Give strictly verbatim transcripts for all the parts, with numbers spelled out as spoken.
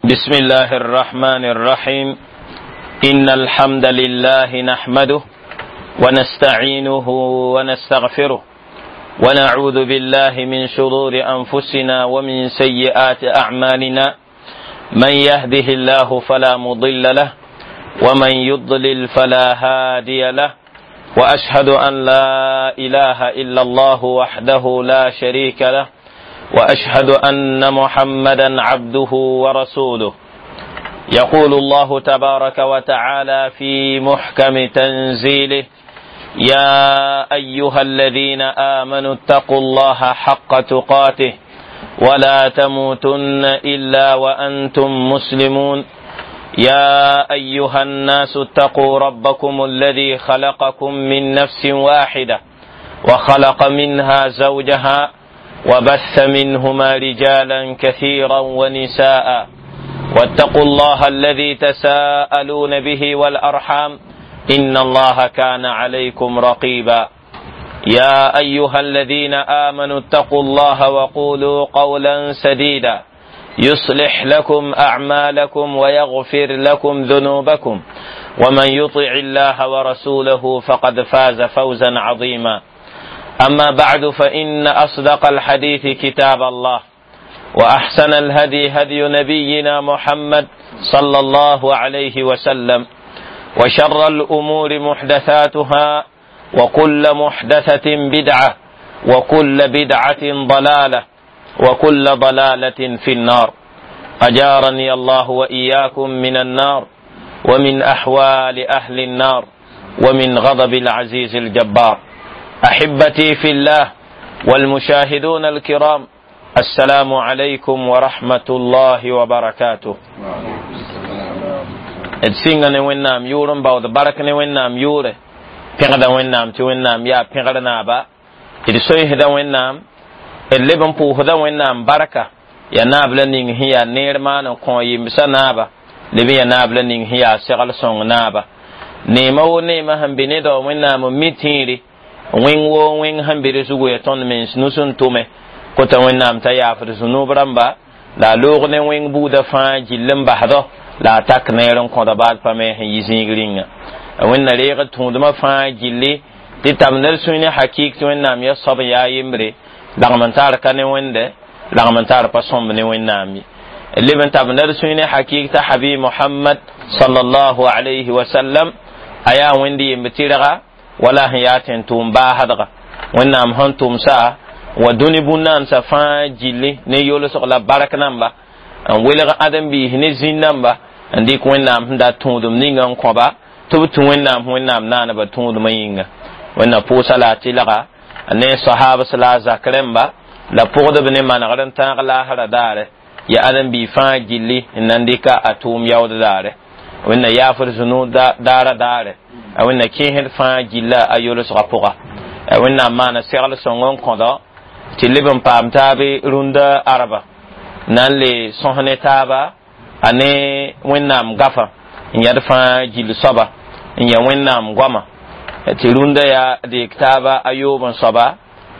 بسم الله الرحمن الرحيم. إن الحمد لله نحمده ونستعينه ونستغفره ونعوذ بالله من شرور أنفسنا ومن سيئات أعمالنا. من يهده الله فلا مضل له ومن يضلل فلا هادي له، وأشهد أن لا إله إلا الله وحده لا شريك له، وأشهد أن محمدا عبده ورسوله. يقول الله تبارك وتعالى في محكم تنزيله: يا أيها الذين آمنوا اتقوا الله حق تقاته ولا تموتن إلا وأنتم مسلمون. يا أيها الناس اتقوا ربكم الذي خلقكم من نفس واحدة وخلق منها زوجها وبث منهما رجالا كثيرا ونساء، واتقوا الله الذي تساءلون به والأرحام إن الله كان عليكم رقيبا. يا أيها الذين آمنوا اتقوا الله وقولوا قولا سديدا يصلح لكم أعمالكم ويغفر لكم ذنوبكم، ومن يطع الله ورسوله فقد فاز فوزا عظيما. أما بعد، فإن أصدق الحديث كتاب الله، وأحسن الهدي هدي نبينا محمد صلى الله عليه وسلم، وشر الأمور محدثاتها، وكل محدثة بدعة، وكل بدعة ضلالة، وكل ضلالة في النار. أجارني الله وإياكم من النار، ومن أحوال أهل النار، ومن غضب العزيز الجبار. أحبتي في الله والمشاهدون الكرام، السلام عليكم ورحمة الله وبركاته. D sɩnga ne Wẽnnaam yʋʋr n baood bark ne Wẽnnaam yʋʋre, pẽgda Wẽnnaam tɩ Wẽnnaam yaa pẽgr naaba. D soeesda Wẽnnaam, d leb n pʋʋsda Wẽnnaam barka yaa naab la ning sẽn yaa neer maan n kõ yembsã naaba, leb n yaa naab la ning sẽn yaa segl sõng naaba. Neema wo neema sẽn be ne dao Wẽnnaam n mi tẽere wẽng woo wẽng sẽn be d zugu ya tõnd mens nus n tʋme kota Wẽnnaam t'a yaafd zũnub rãmba la a loog ne wẽng buudã fãa gill n basdɔ la a tak neer n kõda baad pa me sẽn yi zĩig rĩnga. Wẽnna reeg tũudmã fãa gilli tɩ tabd d sũy ne hakɩɩk tɩ Wẽnnaam ya soab n yaa yembre, lagm n tar ka ne Wẽnde, lagm n tar pa sõmb ne Wẽnnaam ye. Leb n tabd d sũy ne hakɩɩk t'a Habib Mohamad sallallahu alayhi wa sallam a yaa Wẽnd yemb tɩrga wala sẽn yaa tẽn tʋʋm baasdga. Wẽnnaam sẽn tʋmsa wa dũni bũn-naansa fãa gilli ne yolsg la bark namba n welg ãdem-biis ne zĩn namba n dɩk Wẽnnaam sẽn dat tũudum ninga n kõba tɩ b tũ Wẽnnaam Wẽnnaam naaneba tũudmã yĩnga. Wẽnna pʋʋsa la a tɩlga ne sahabs la a zak rẽmba la pʋgdb ne manegr n tãag laasra daare ya ãdem-biig fãa gilli n na n dɩka a tʋʋm yaood daare. Wẽnna yaafd zũnu daara daare, a Wẽnna kẽesd fãa gilla a yolsgã pʋga. Wẽnnaam maana segl sõng n kõdo tɩ leb n paam taabe rũndã arba na n le sõs ne taaba a ne Wẽnnaam gafa n yãd fãa gill soaba n ya Wẽnnaam goama tɩ rũndã yaa deek taaba a yoob n soaba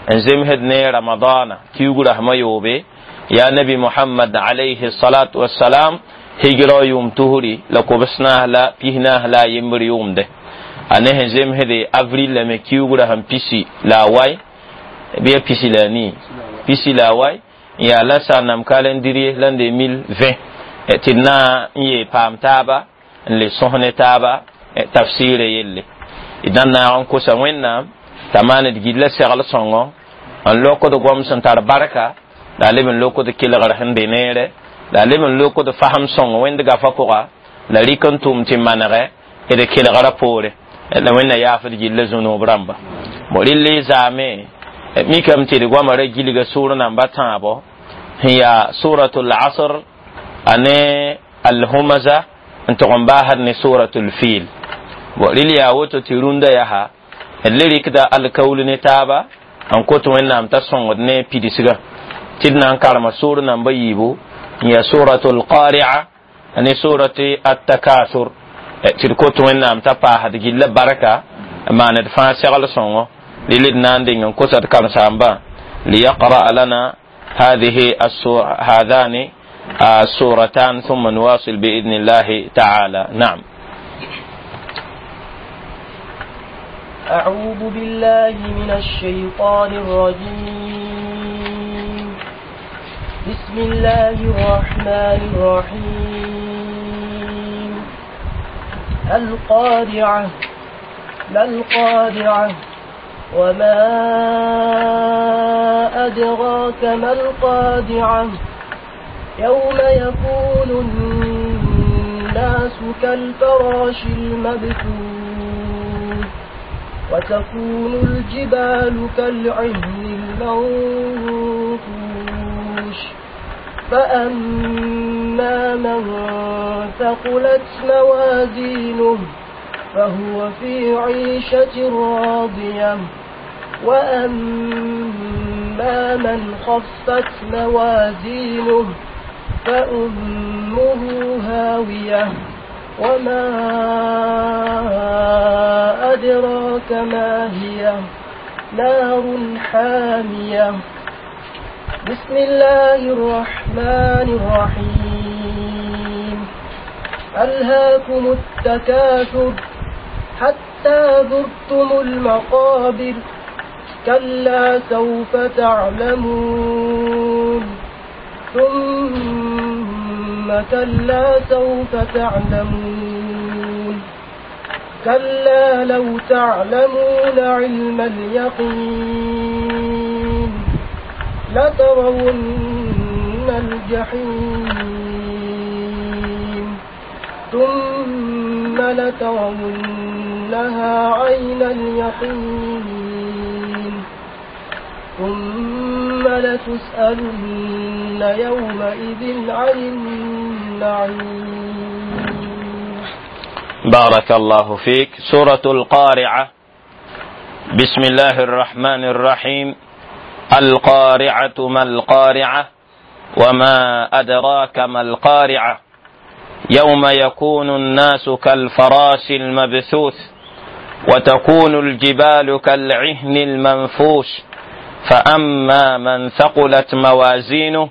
n zemsd ne Ramadaana kiuug rasmã yoobe yaa Nabi Mohamad alayhi salatu wassalam higra yʋʋm tusri la kobs naas la pis naas la a yembr yʋʋmde a ne sẽn zemsde avril la me kiuug rasem pisi la a wai bɩ ya pisi la a nii pisi la a wai n yaa la sãnam calendrier la n de mille vingt tɩ d na n yee paam taaba n le sõs ne taaba tafsɩɩrã yelle. D na n naag n kosa Wẽnnaam t'a maan d gilla segl sõngo n lokd goam sẽn tar barka la a leb n lokd kelgr sẽn be neere la a leb n lokd fasem sõng Wẽnd gafã pʋga la rɩk n tʋm tɩ manegɛ d kelgrã poore la Wẽnna yaafd gilla zũnub rãmba. Bo rɩl zaame mikame tɩ d goamã ra gilga sʋʋr namba tãabo sẽn yaa Suratul Asr ane Alhumaza n tʋg n baasd ne Suratul Fil. Bo rɩl yaa woto tɩ rũndã yaa d le rɩkda alkaul ne taaba n kot Wẽnnaam t'a sõngd ne pidsgã tɩ d na n karema sʋʋr namba yiibu n yaa Suratul Qari'a ne Surati Attakasur tɩ d kot Wẽnnaam t'a paasd gilla barka n maan d fãa segl sõngo. Rɩl d na n deng n kosa d karen-saambã liyaqra lana هذه السور هذان السورتان ثم نواصل بإذن الله تعالى. نعم. أعوذ بالله من الشيطان الرجيم. بسم الله الرحمن الرحيم. القارعة ما القارعة وما أدراك ما القارعة يوم يكون الناس كالفراش المبثوث وتكون الجبال كالعهن المنفوش فأما من ثقلت موازينه فهو في عيشة راضية وأما من خفت موازينه فأمه هاوية وما أدراك ما هي نار حامية. بسم الله الرحمن الرحيم. ألهاكم التكاثر حتى زرتم المقابر كلا سوف تعلمون ثم كلا سوف تعلمون كلا لو تعلمون علم اليقين لترون الجحيم ثم لترونها عين اليقين ثم لتسألن يومئذ عن النعيم. بارك الله فيك. سورة القارعة. بسم الله الرحمن الرحيم. القارعة ما القارعة وما أدراك ما القارعة يوم يكون الناس كالفراش المبثوث وتكون الجبال كالعهن المنفوش فأما من ثقلت موازينه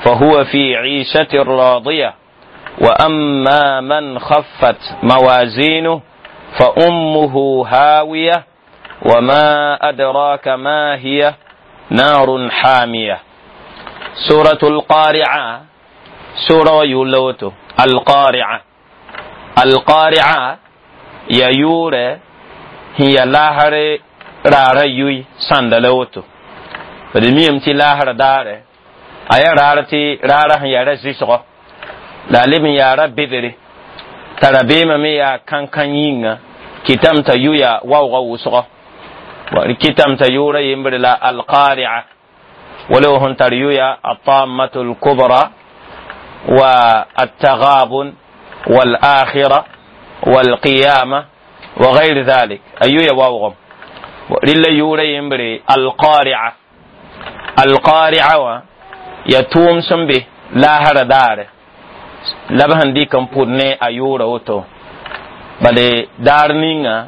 فهو في عيشة راضية وأما من خفت موازينه فأمه هاوية وما أدراك ما هي نار حامية. سورة القارعة سورة يولوتو. القارعة القارعة يا يورة هي لاهر رارا يوي ساندلوتو بدميم تي لاهر داره أيا رارا تي رارا هي رزيسغو لا لم يارا بدري ترى بيما ميا كان كان يينغا كتام تا يويا واو غوسغو كتام تا يورا يمبر لا القارعة ولو هن تريويا الطامة الكبرى والتغابن والآخرة والقيامة وغير ذلك أيويا واوغم لله يورا يمبر القارعة القارعة يتوم سنبه لا هر داره لبهن دي كم پودنه ayura woto bale daar ninga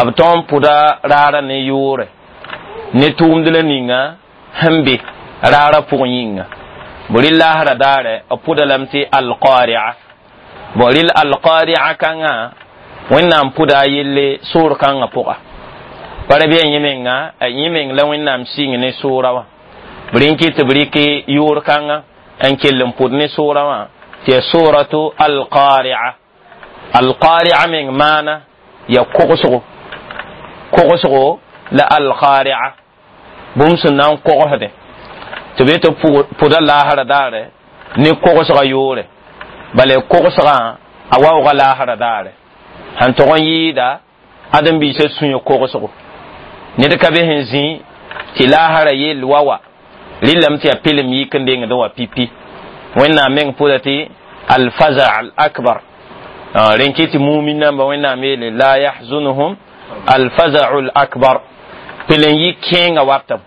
b tõn pʋda raara ne yʋʋre ne tʋʋmd la ninga sẽn be raara pʋgẽ yĩnga bõ rɩ laasra daare b pʋda lame tɩ alqari'a bõ rɩl alqari'a kãngã wẽnnaam pʋda a yelle soor kãngã pʋga pa ra bɩ a yẽ menga a yẽ meng la wẽnnaam sɩng ne soora wã b rẽn kɩ tɩ b rɩk yʋʋr kãngã n kell n pʋd ne soora wã tɩ suratu alqari'a alqari'a meng maana ya kogsgo kogsgo la alqari'a bũmb sẽn na n kogsdẽ tɩ b tɩ pʋda laasra daare ne kogsga yoore bala kogsgã a waooga laasra daare sẽn tog n yɩɩda ãdem-biisã sũyã kogsgo ned ka be sẽn zĩ tɩ laasra yell wa wa rɩlame tɩ yaa pɩlem yik n dengdẽ wa pipi wẽnnaam meng pʋda tɩ alfaza al akbar rẽn kɩ tɩ mumin namba wẽnnaam yeele la yahzunuhum alfazau l akbar pɩl n yɩ kẽenga watam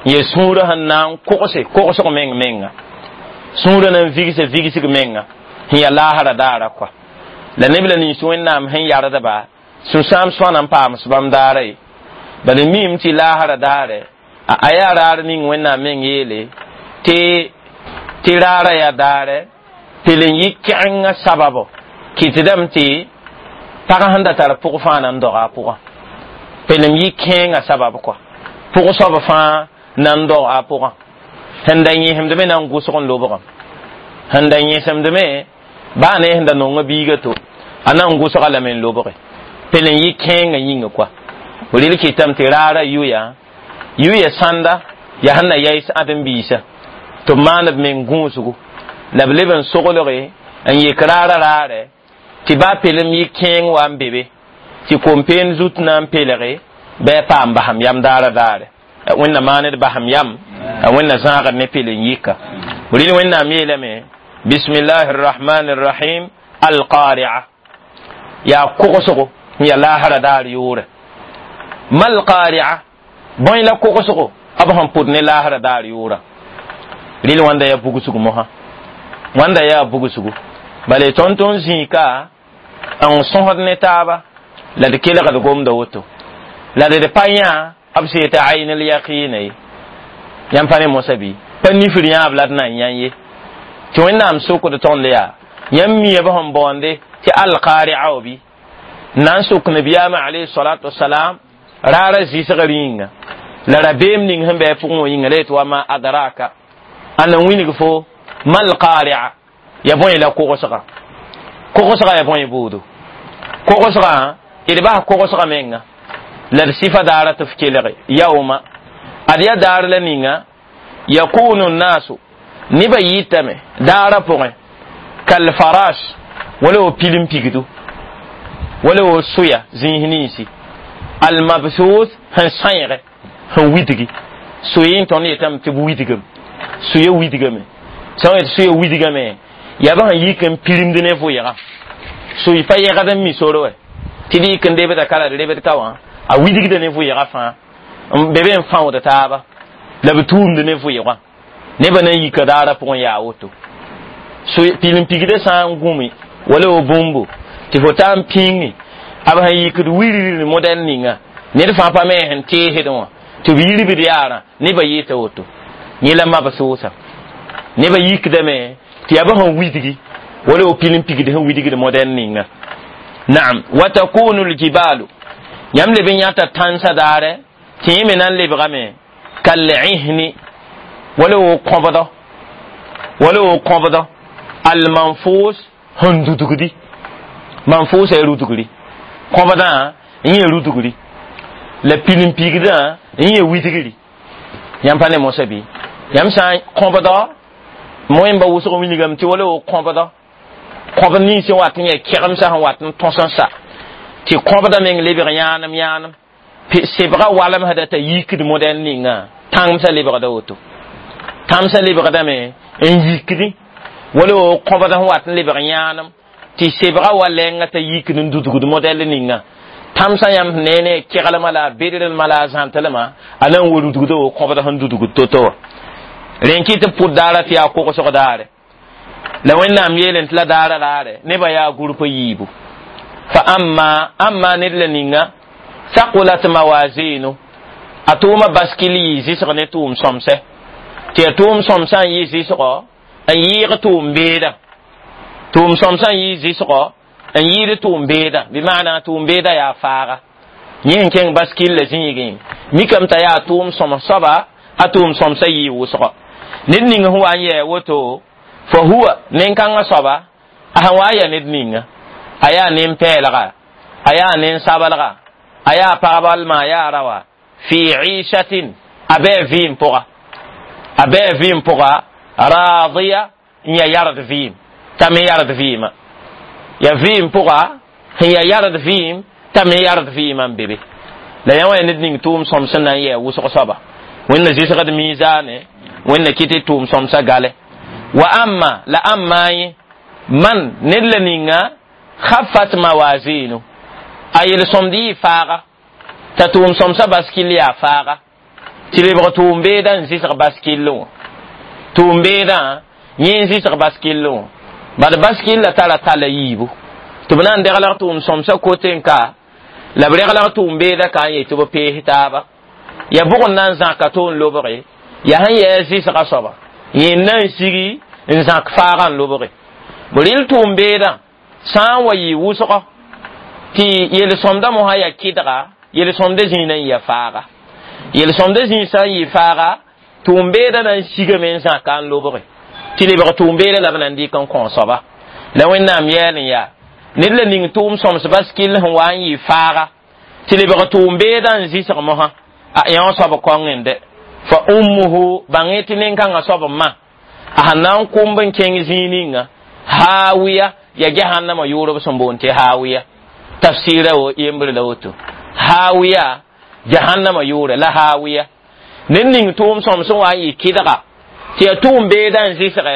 ye sũurã sẽn na n kogse kogsg meng menga sũurã na n vigse vigsg menga sẽn yaa laasra daara kɔa la neb la nins wẽnnaam sẽn yardba sũ-sãam sõana n paams bãmb daara ye bala miime tɩ laasra daare a yaa raar ning wẽnnaam meng yeele tɩ Tɩ raara yaa daare pil n yɩ kɛgengã sababo kɩtdame tɩ pag sẽn da tar pʋg fãa na n doga a pʋgã pelem yɩ kẽengã sabab kɔa pʋg soab fãa na n dog a pʋgã sẽn da yẽsemdme na n gʋsg n lobgame sẽn da yẽsemdme baa ne sẽn da nonga biiga to a na n gʋsga lame n lobge pel n yɩ kẽengã yĩnga kɔa rel kɩtame tɩ raara yʋya yʋya sãnda yaa sẽn na yaɩs ãdem-biisã tɩ b maan b meng gũusgu la b leb n soglge n yek raara raarɛ tɩ baa pelem yɩ kẽeng wa n be be tɩ kom-peen zut na n pelge bɩ a paam basam yam daara daare wẽnna maaned basam yam wẽnna zãagd ne pel n yika rɩl wẽnnaam yeelame bismillahi rrahmani rrahim alqaria yaa kogsgo n yaa laasra daar yʋʋre mal qaria bõe la kogsgo b sẽn pʋd ne laasra daar yʋʋra rɩl wãnda yaa bugsg mosã wãnda yaa bugsgu bala tõnd tõnd zĩika n sõsd ne taaba la d kelgd gomda woto la d pa yã b sẽn yetɩ aynl yaqɩɩna ye yãmb pa ne mosã bɩ pa nifr yãab la d na n yã ye tɩ wẽnnaam sokd tõnd yaa yãmb mia b sẽn baoonde tɩ alqaria wa bɩ na n sok nabiyaamã alayhi salatu wasalam raara zɩsg rĩnga la rabeem ning sẽn bɩ a pʋgẽ wã yĩnga la yetɩ wa ma adraka a na wilg fo mal qaria ya bõe la kogsga kogsga ya bõe buudu kogsga d bas kogsga menga la d sɩfa daara tɩ f kelge yauma ad ya daar la ninga yakunu nnasu nebã yitame daara pʋgẽ kalfaras wala wo pilim pigdu wala wo soya zĩis ninsi almabthus sẽn sãeege sẽn widgi soyẽ tõnd yetame tɩ b widgame soya widgame sã n yet soya widgame yaa b sẽn yik n pirimd ne vʋɩga soy pa yɛgd n mi sore wɛ tɩ d yik n lebda ka la d lebd ka wã a widgda ne vʋɩga fãa n be be n fãood taaba la b tuumd ne vʋɩgã nebã na n yika daara pʋgẽ yaa woto pilim pigdã sã n gũmi wala wo bũmbu tɩ fo taa n pĩngi b sẽn yikd wilgr modɛl ninga ned fãa pa me sẽn teesd wã tɩ b yirbd yaarã nebã yɩɩta woto yẽ la mab sʋʋsa nebã yikdame tɩ yaa b sẽn widgi wala wo pilim pigd sẽn widgd modɛl ninga naam wa takunu ljibalu yãmb leb n yãta tãnsã daare tɩ yẽ me na n lebgame kal'ihni wala wo kõbdɔ wala wo kõbdɔ almanfus sẽn dudgdi manfusa ya rudgri kõbdã n yẽ rudgri la pilim pigdã n yẽ widgri yãmb pa ne mosã bɩ yãmb sã n kõbdɔ moẽmba wʋsg wilgame tɩ wala wo kõbdɔ kõbd nins sẽn wat n yaa kɛgemsã sẽn wat n tõs n sa tɩ kõbda meng lebg yãanem yãanem sebga walemsda t'a yikd modɛl ninga tãngmsã lebgda woto tãmsã lebgdame n yikdi wala wo kõbd sẽn wat n lebg yãanem tɩ sebga wa lɛnga t'a yikd n dudgd modɛl ninga tãmsã yãmb ne ne keglmã la a bedrelmã la a zãntlmã a na n wa rudgda wo kõbd sẽn dudgd to-to wã rẽn kɩ tɩ pʋd daara tɩ yaa kogsg daare la wẽnnaam yeelẽ tɩ la daara raare nebã yaa gʋrp yiibu fa amma amma ned la ninga thaqulat mawazinu a tʋʋma baskil yɩ zɩsg ne tʋʋm sõmsɛ tɩ ya tʋʋm sõmsã n yɩ zɩsgɔ n yɩɩg tʋʋm beeda tʋʋm sõmsã n yɩ zɩsgɔ n yɩɩd tʋʋm beeda bɩ maana tʋʋm beeda yaa faaga yẽ sẽn kẽng baskil la zĩigẽ mikame t'a yaa tʋʋm sõms soaba a tʋʋm sõmsã yɩɩ wʋsgɔ ned ning sẽn wa n yɛɛ woto fa huwa nen-kãngã soaba a sẽn wa n yaa ned ninga a yaa nen-pɛɛlga a yaa nen-sablga a yaa pagba walma a yaa rawa fi ishatin a bɩ vɩɩm pʋga a bɩ vɩɩm pʋga raadiya n yaa yard vɩɩm t'a me yard vɩɩmã ya vɩɩm pʋga sẽn yaa yard vɩɩm t'a me yard vɩɩmã n be be la yã wã yaa ned ning tʋʋm sõm sẽn na n yɛɛ wʋsg soaba wẽnna zɩsgd miizaane wẽnna kɩ tɩ tʋʋm sõmsã gale wa amma la amma yẽ man ned la ninga khaffat mawazinu a yel-sõmd yɩ faaga t'a tʋʋm sõmsã baskil yaa faaga tɩ lebg tʋʋm beedã n zɩsg baskillẽ wã tʋʋm beedã yẽ n zɩsg baskillẽ wã bad baskilla tara tala yiibu tɩ b na n deglag tʋʋm sõmsã kote n ka la b reglg tʋʋm beedã ka n yetɩ b pees taaba ya bʋg n na n zãka to n lobge yaa sẽn yɛɛ zɩsga soaba yẽ na n sigi N zãk faaga n lobge b rɩl tʋʋm beedã sã n wa yɩ wʋsgo tɩ yel-sõmda mosã yaa kɩdga yel-sõmda zĩig na n yɩa faaga yel-sõmda zĩig sã n yɩ faaga tʋʋm beedã na n sigame n zãka n lobge tɩ lebg tʋʋm beedã la b na n dɩk n kõ soaba la Wẽnnaam yɛɛl n yaa ned la ning tʋʋm sõms bas kell sẽn wa n yɩ faaga tɩ lebg tʋʋm beedã n zɩsg mosã a yã soab kõng dɛ fa ummuhu bãng tɩ nin-kãngã soab n ma a sẽn na n kʋmb n kẽng zĩig ninga hawiya ya jahannama yʋʋrb sẽn boond tɩ hawiya tafsira wo yembr la woto hawiya jahannama yʋʋre la hawiya ned ning tʋʋm sõm sẽn wa n yɩ kɩdga tɩ ya tʋʋm beedã n zɩsgɛ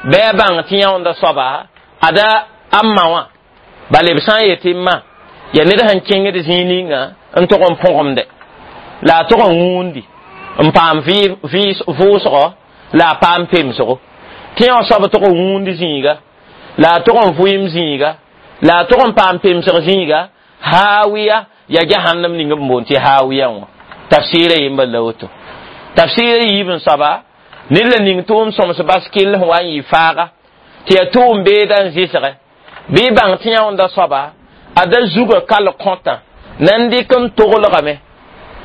bɩ a bãng tɩ yãonda soaba ada a ma wã bala b sã n yetɩ ma ya ned sẽn kẽngd zĩig ninga n tog n põgemde la a tog n wũundi n paam vʋʋsgɔ la a paam pemsgo tɩ yã soab tog n wũund zĩiga la a tog n vʋɩɩm zĩiga la a tog n paam pemsg zĩiga hawiya ya jahannam ning b boond tɩ hawiya wã tafsɩɩra yembr la woto tafsɩɩra yiib n soaba ned la ning tʋʋm sõms bas kell sẽn wa n yɩ faaga tɩ ya tʋʋm beedã n zɩsgɛ bɩ bãng tɩ yãonda soaba a da zuga kal kõtã na n dɩk n toglgame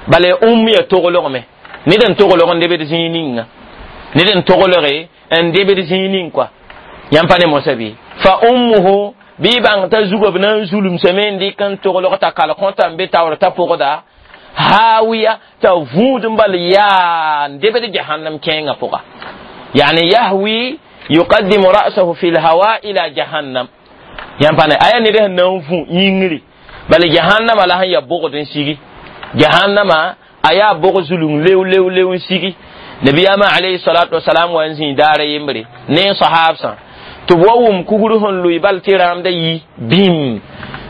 bala ya ũmb ya toglgme ned n toglg n debd zĩig ninga ned n toglge n debd zĩig ning kɔa yãmb pa ne mosã bɩ fa ummuhu bɩ bãng t'a zuga b na n zulumsame n dɩk n toglg t'a kal kõta n be taoor t'a pʋgda hawiya t'a vũud n bal yaa n debd jahannam kẽengã pʋga yani yahwi yuqaddimu ra'sahu fi lhawa ila jahannam yãmb pa ne aya ned sẽn na n vũ yĩngri bala jahannama la sẽn ya bogd n sigi jahannama a yaa bog zulung lew lew lew n sigi nabiyaamã alayhi salatu wasalam wa n zĩig daara yembre ne sahabsã tɩ b wa wʋm kugr sẽn lʋɩ bal tɩ rãamda yi bĩm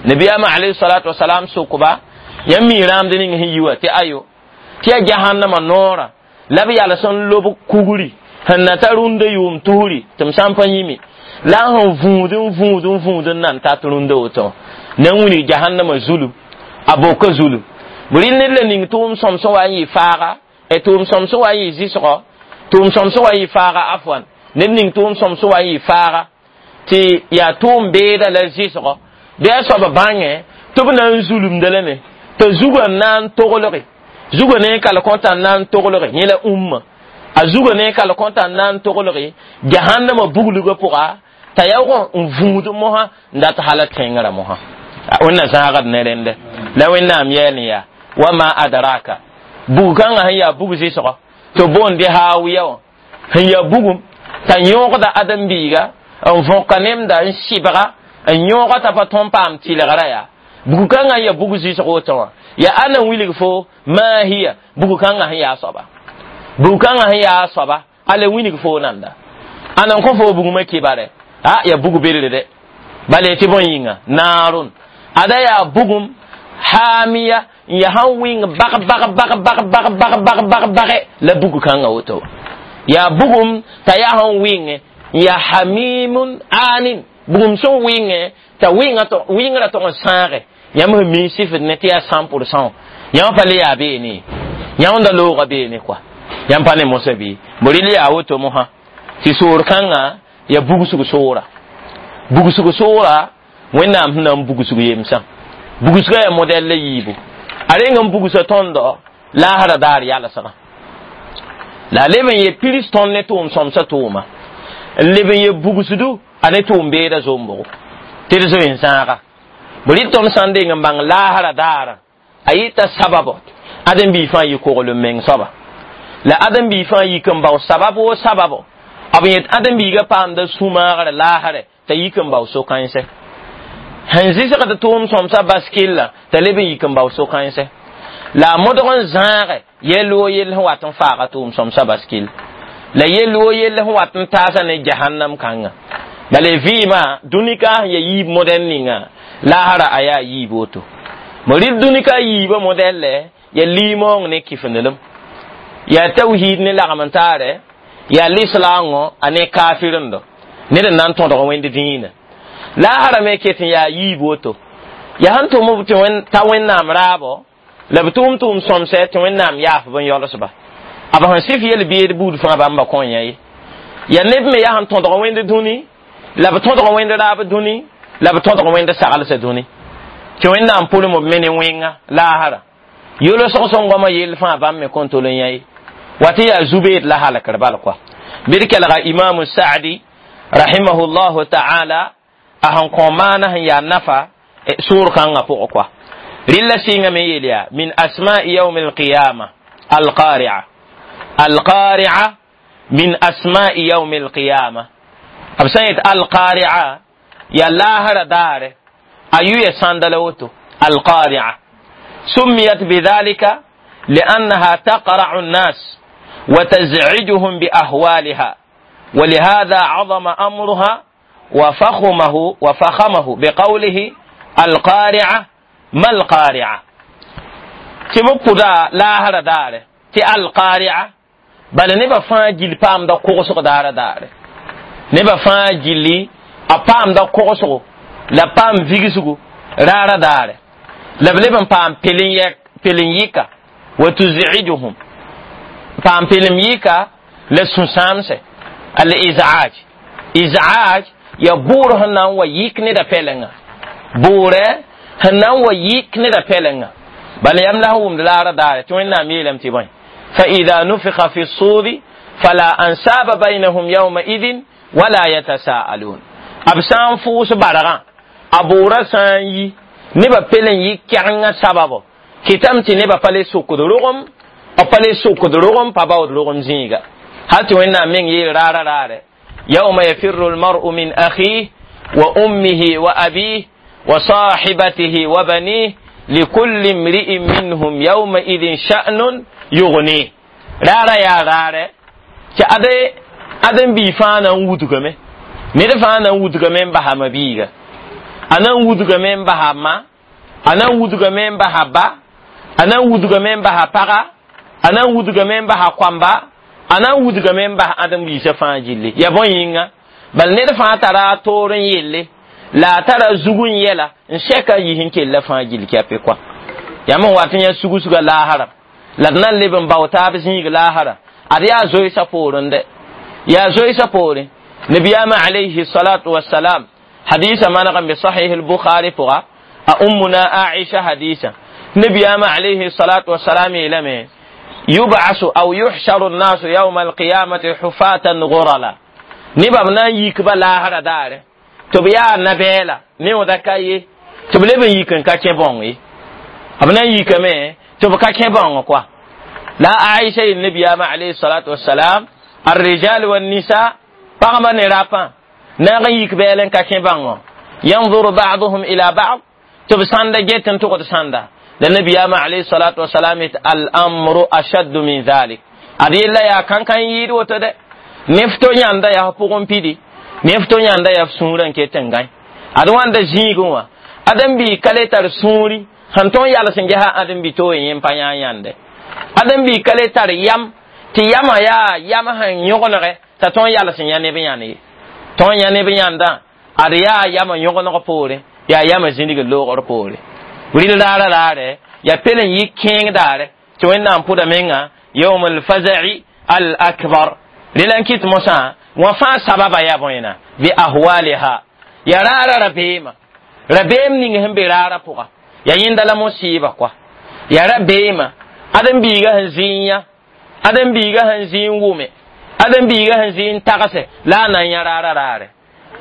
nabiyaamã alayhi salatu wasalam sokba yãmb mi rãamd ning sẽn yi wa tɩ ayo tɩ yaa jahannama noorã la b yals n lob kugri sẽn na ta rũndã yʋʋm tusri tɩ m sã n pa yĩme la n sẽn vũud n vũud n vũud n nan tat rũndã woto na n wilg jahannama zulum a boka zulum b rɩl ned la ning tʋʋm sõm sẽn wa n yɩ faaga tʋʋm sõm sẽn wa n yɩ zɩsgɔ tʋʋm sõm sẽn wa n yɩ faaga afwan ned ning tʋʋm sõm sẽn wa n yɩ faaga tɩ yaa tʋʋm beeda la zɩsgɔ bɩ a soab bãngẽ tɩ b na n zulumda lame t'a zugã n na n toglge zugã ne kal kõta n na n toglge yẽ la ũmma a zugã ne kal kõta n na n toglge jahannama buglgã pʋga t'a yaoog n vũud mosã n dat hala tẽngrã mosã wẽnna zãagd ne rẽndɛ la Wẽnnaam yɛɛl n yaa wama adraka bug kãngã sẽn yaa bug zɩsgɔ tɩ boond hawiya wã sẽn yaa bugum t'a yõogda ãdem-biiga n võka nemda n sɩbga n yõoga t'a pa tõn paam tɩlgra yaa bug kãngã n yaa bug zɩsg woto wã yaa ãn n wilg fo maa hiya bug kãngã sẽn yaa soaba bug kãngã sẽn yaa soaba ala wilg fo nanda ãn n kõ fo bugmã kɩbare a yaa bug belre dɛ bala tɩ bõe yĩnga naarun ada yaa bugum hamiya n yaa sãn wɩng bag bag bag bag bag bag bag bag bage la bug kãngã woto yaa bugum t'a yaa sẽn wɩngẽ n yaa hamimun anin bugum sẽn wɩngẽ t'a wɩngrã tog n sãage yãmb sẽn mi sifd ne tɩ yaa cent pour cent yãmb pa le yaa beene yãmb da loogã beene kɔa yãmb pa ne mosã bɩ b rɩl yaa woto mosã tɩ soor kãngã yaa bugsg soora bugsg soora Wẽnnaam sẽn na n bugsg yemsã bugsgã yaa modɛl la yiibu a reng n bugsa tõndo laasra daar yalsgã la a leb n ye pirs tõnd ne tʋʋm sõmsã tʋʋma n leb n ye bugsdu a ne tʋʋm beeda zombgo tɩ d zoe n zãaga b rɩ tõnd sã n deng n bãng laasra daara a yɩta sababo ãdem-biig fãa yɩ koglem meng soaba la ãdem-biig fãa yik n bao sabab wo sababo b yet ãdem-biigã paamda sũ-maagre laasrɛ t'a yik n bao so-kãense sẽn zɩsgd tʋʋm sõmsã bas kella t'a leb n yik n bao so-kãense la a modg n zãage yel wo yell sẽn wat n faaga tʋʋm sõmsã bas kell la yel wo yell sẽn wat n taasa ne jahannam kãnga bala vɩɩmã dũnika sẽn ya yiib modɛl ninga laasra a yaa yiib woto mo rɩl dũnika yiibã modɛllɛ ya liimoong ne kɩfenelem yaa tawhiid ne lagm n taarɛ yaa lislaangõ a ne kafirendo ned n na n tõdg wẽnd dĩinã laasra me ket n yaa yiib woto yaa sẽn tʋm tɩ ta Wẽnnaam raabo la b tʋʋm tʋʋm sõmsɛ tɩ Wẽnnaam yaaf b n yolsba b sẽn sɩf yel-beed buud fãa bãmba kõ yã ye Ya neb me yaa sẽn tõdg wẽnd dũni la b tõdg wẽnd raab dũni la b tõdg wẽnd saglsã dũni tɩ wẽnnaam pʋlem b me ne wẽnga laasra yolsg sẽn goamã yell fãa bãmb me kõn tol n yã ye wa tɩ yaa zu-beed la halkr bal koa bɩ d kelga imamu sa'di rahimahullahu ta'ala a sẽn kõ maana sẽn yaa nafa sʋʋr kãngã pʋgẽ koa rɩlla sɩngame yeel yaa min asma'i yawm alqiyama alqari'a alqari'a min asma'i yawm alqiyama b sã n yet alqari'a ya laasra daare a yuya sãnda la woto alqari'a سميت بذلك لأنها تقرع الناس وتزعجهم بأهوالها ولهذا عظم أمرها وفخمه وفخمه بقوله القارعة ما القارعة تبقى لا هر دار تي القارعة بل نبا فاجل بام دا كوغسو دار دار نبا فاجلي أبام دا كوغسو لا بام فيغسو رارا دار la b leb n paam pelem yika wa tuz'ijuhum paam pelem yika la sũ-sãamsɛ al iz'aj iz'aj ya bʋʋr sẽn na n wa yik neda pɛlenga bʋʋrɛ sẽn na n wa yik neda pɛlenga bala yam la sẽn wʋmd laara daare tɩ wẽnnaam yeelame tɩ bõe فإذا نفخ في الصور فلا أنساب بينهم يومئذ ولا يتساءلون b sã n fʋʋs bargã a bʋʋrã sã n yi nebã pel n yɩ kɛgengã sababo kɩtame tɩ nebã pa le sokd rogem b pa le sokd rogem pa baood rogem zĩiga hal tɩ wẽnnaam meng yeel raara raare يوم يفر المرء من أخيه وأمه وأبيه وصاحبته وبنيه لكل امرئ منهم يومئذ شأن يغنيه رارا يا رارا tɩ ade adem bii fãa na n wudgame ned fãa na n wudgame n basa ma biiga a na n wudgame n basa ma a na n wudgame n basa ba a na n wudgame n basa paga a na n wudgame n basa koamba a na n wudgame n bas ãdem biisã fãa gilli ya bõe yĩnga bal ned fãa tara a toor n yelle la a tara zug n yɛla n sɛka yis n kella fãa gill kɛpɩ koa yãmb n wat n yã sugsuga laasra la d na n leb n bao taab zĩig laasra ad yaa zoeesã poorẽ dɛ yaa zoeesã poorẽ nabiyaamã alayhi salatu wasalam hadisa maneg n be sahih al-bukhari pʋga a ummuna aisha hadisa nabiyaamã alayhi salatu wasalam yeelame يبعث أو يحشر الناس يوم القيامة حفاة غرلا نبا بنا يكبا لاهرا دار تبيا نبيلا نيو دكاي تبلي بن يكن كاكي بوني أبنا يكمي تب كاكي بون كوا لا عائشة النبي عليه الصلاة والسلام الرجال والنساء بغما نرابا نغ يكبالن كاكي بون ينظر بعضهم إلى بعض تب ساندا جيتن تقعد ساندا للنبي عليه الصلاة والسلام الأمر أشد من ذلك أدي لا يا كان كان يد وتد نفتو ياندا يا بوغم بيدي نفتو ياندا يا سوران كيتنغاي أدوان دا زيغوا أدم بي كالي تار سوري هنتون يالا سنجها أدم بي تو يم بانيا يانده أدم بي كالي تار يام تي ياما يا ياما هن يوغنغه تا تون يالا سن يا نبي ياني تون يا نبي ياندا أدي يا ياما يوغنغ پوري يا ياما زيندي لوغور پوري rɩl raara raare ya pel n yɩ kẽeng daare tɩ wẽnnaam pʋda menga yawm alfaza'i al akbar rela n kɩt mosã wã fãa sababa yaa bõena bi ahwaliha ya raara rabeemã rabeem ning sẽn be raara pʋga ya yẽnda la mosiiba koa ya rabeemã ãdem-biigã sẽn zɩ n yã ãdem-biigã sẽn zɩ n wʋme ãdem-biigã sẽn zɩ n tagse la a na n yã raara raare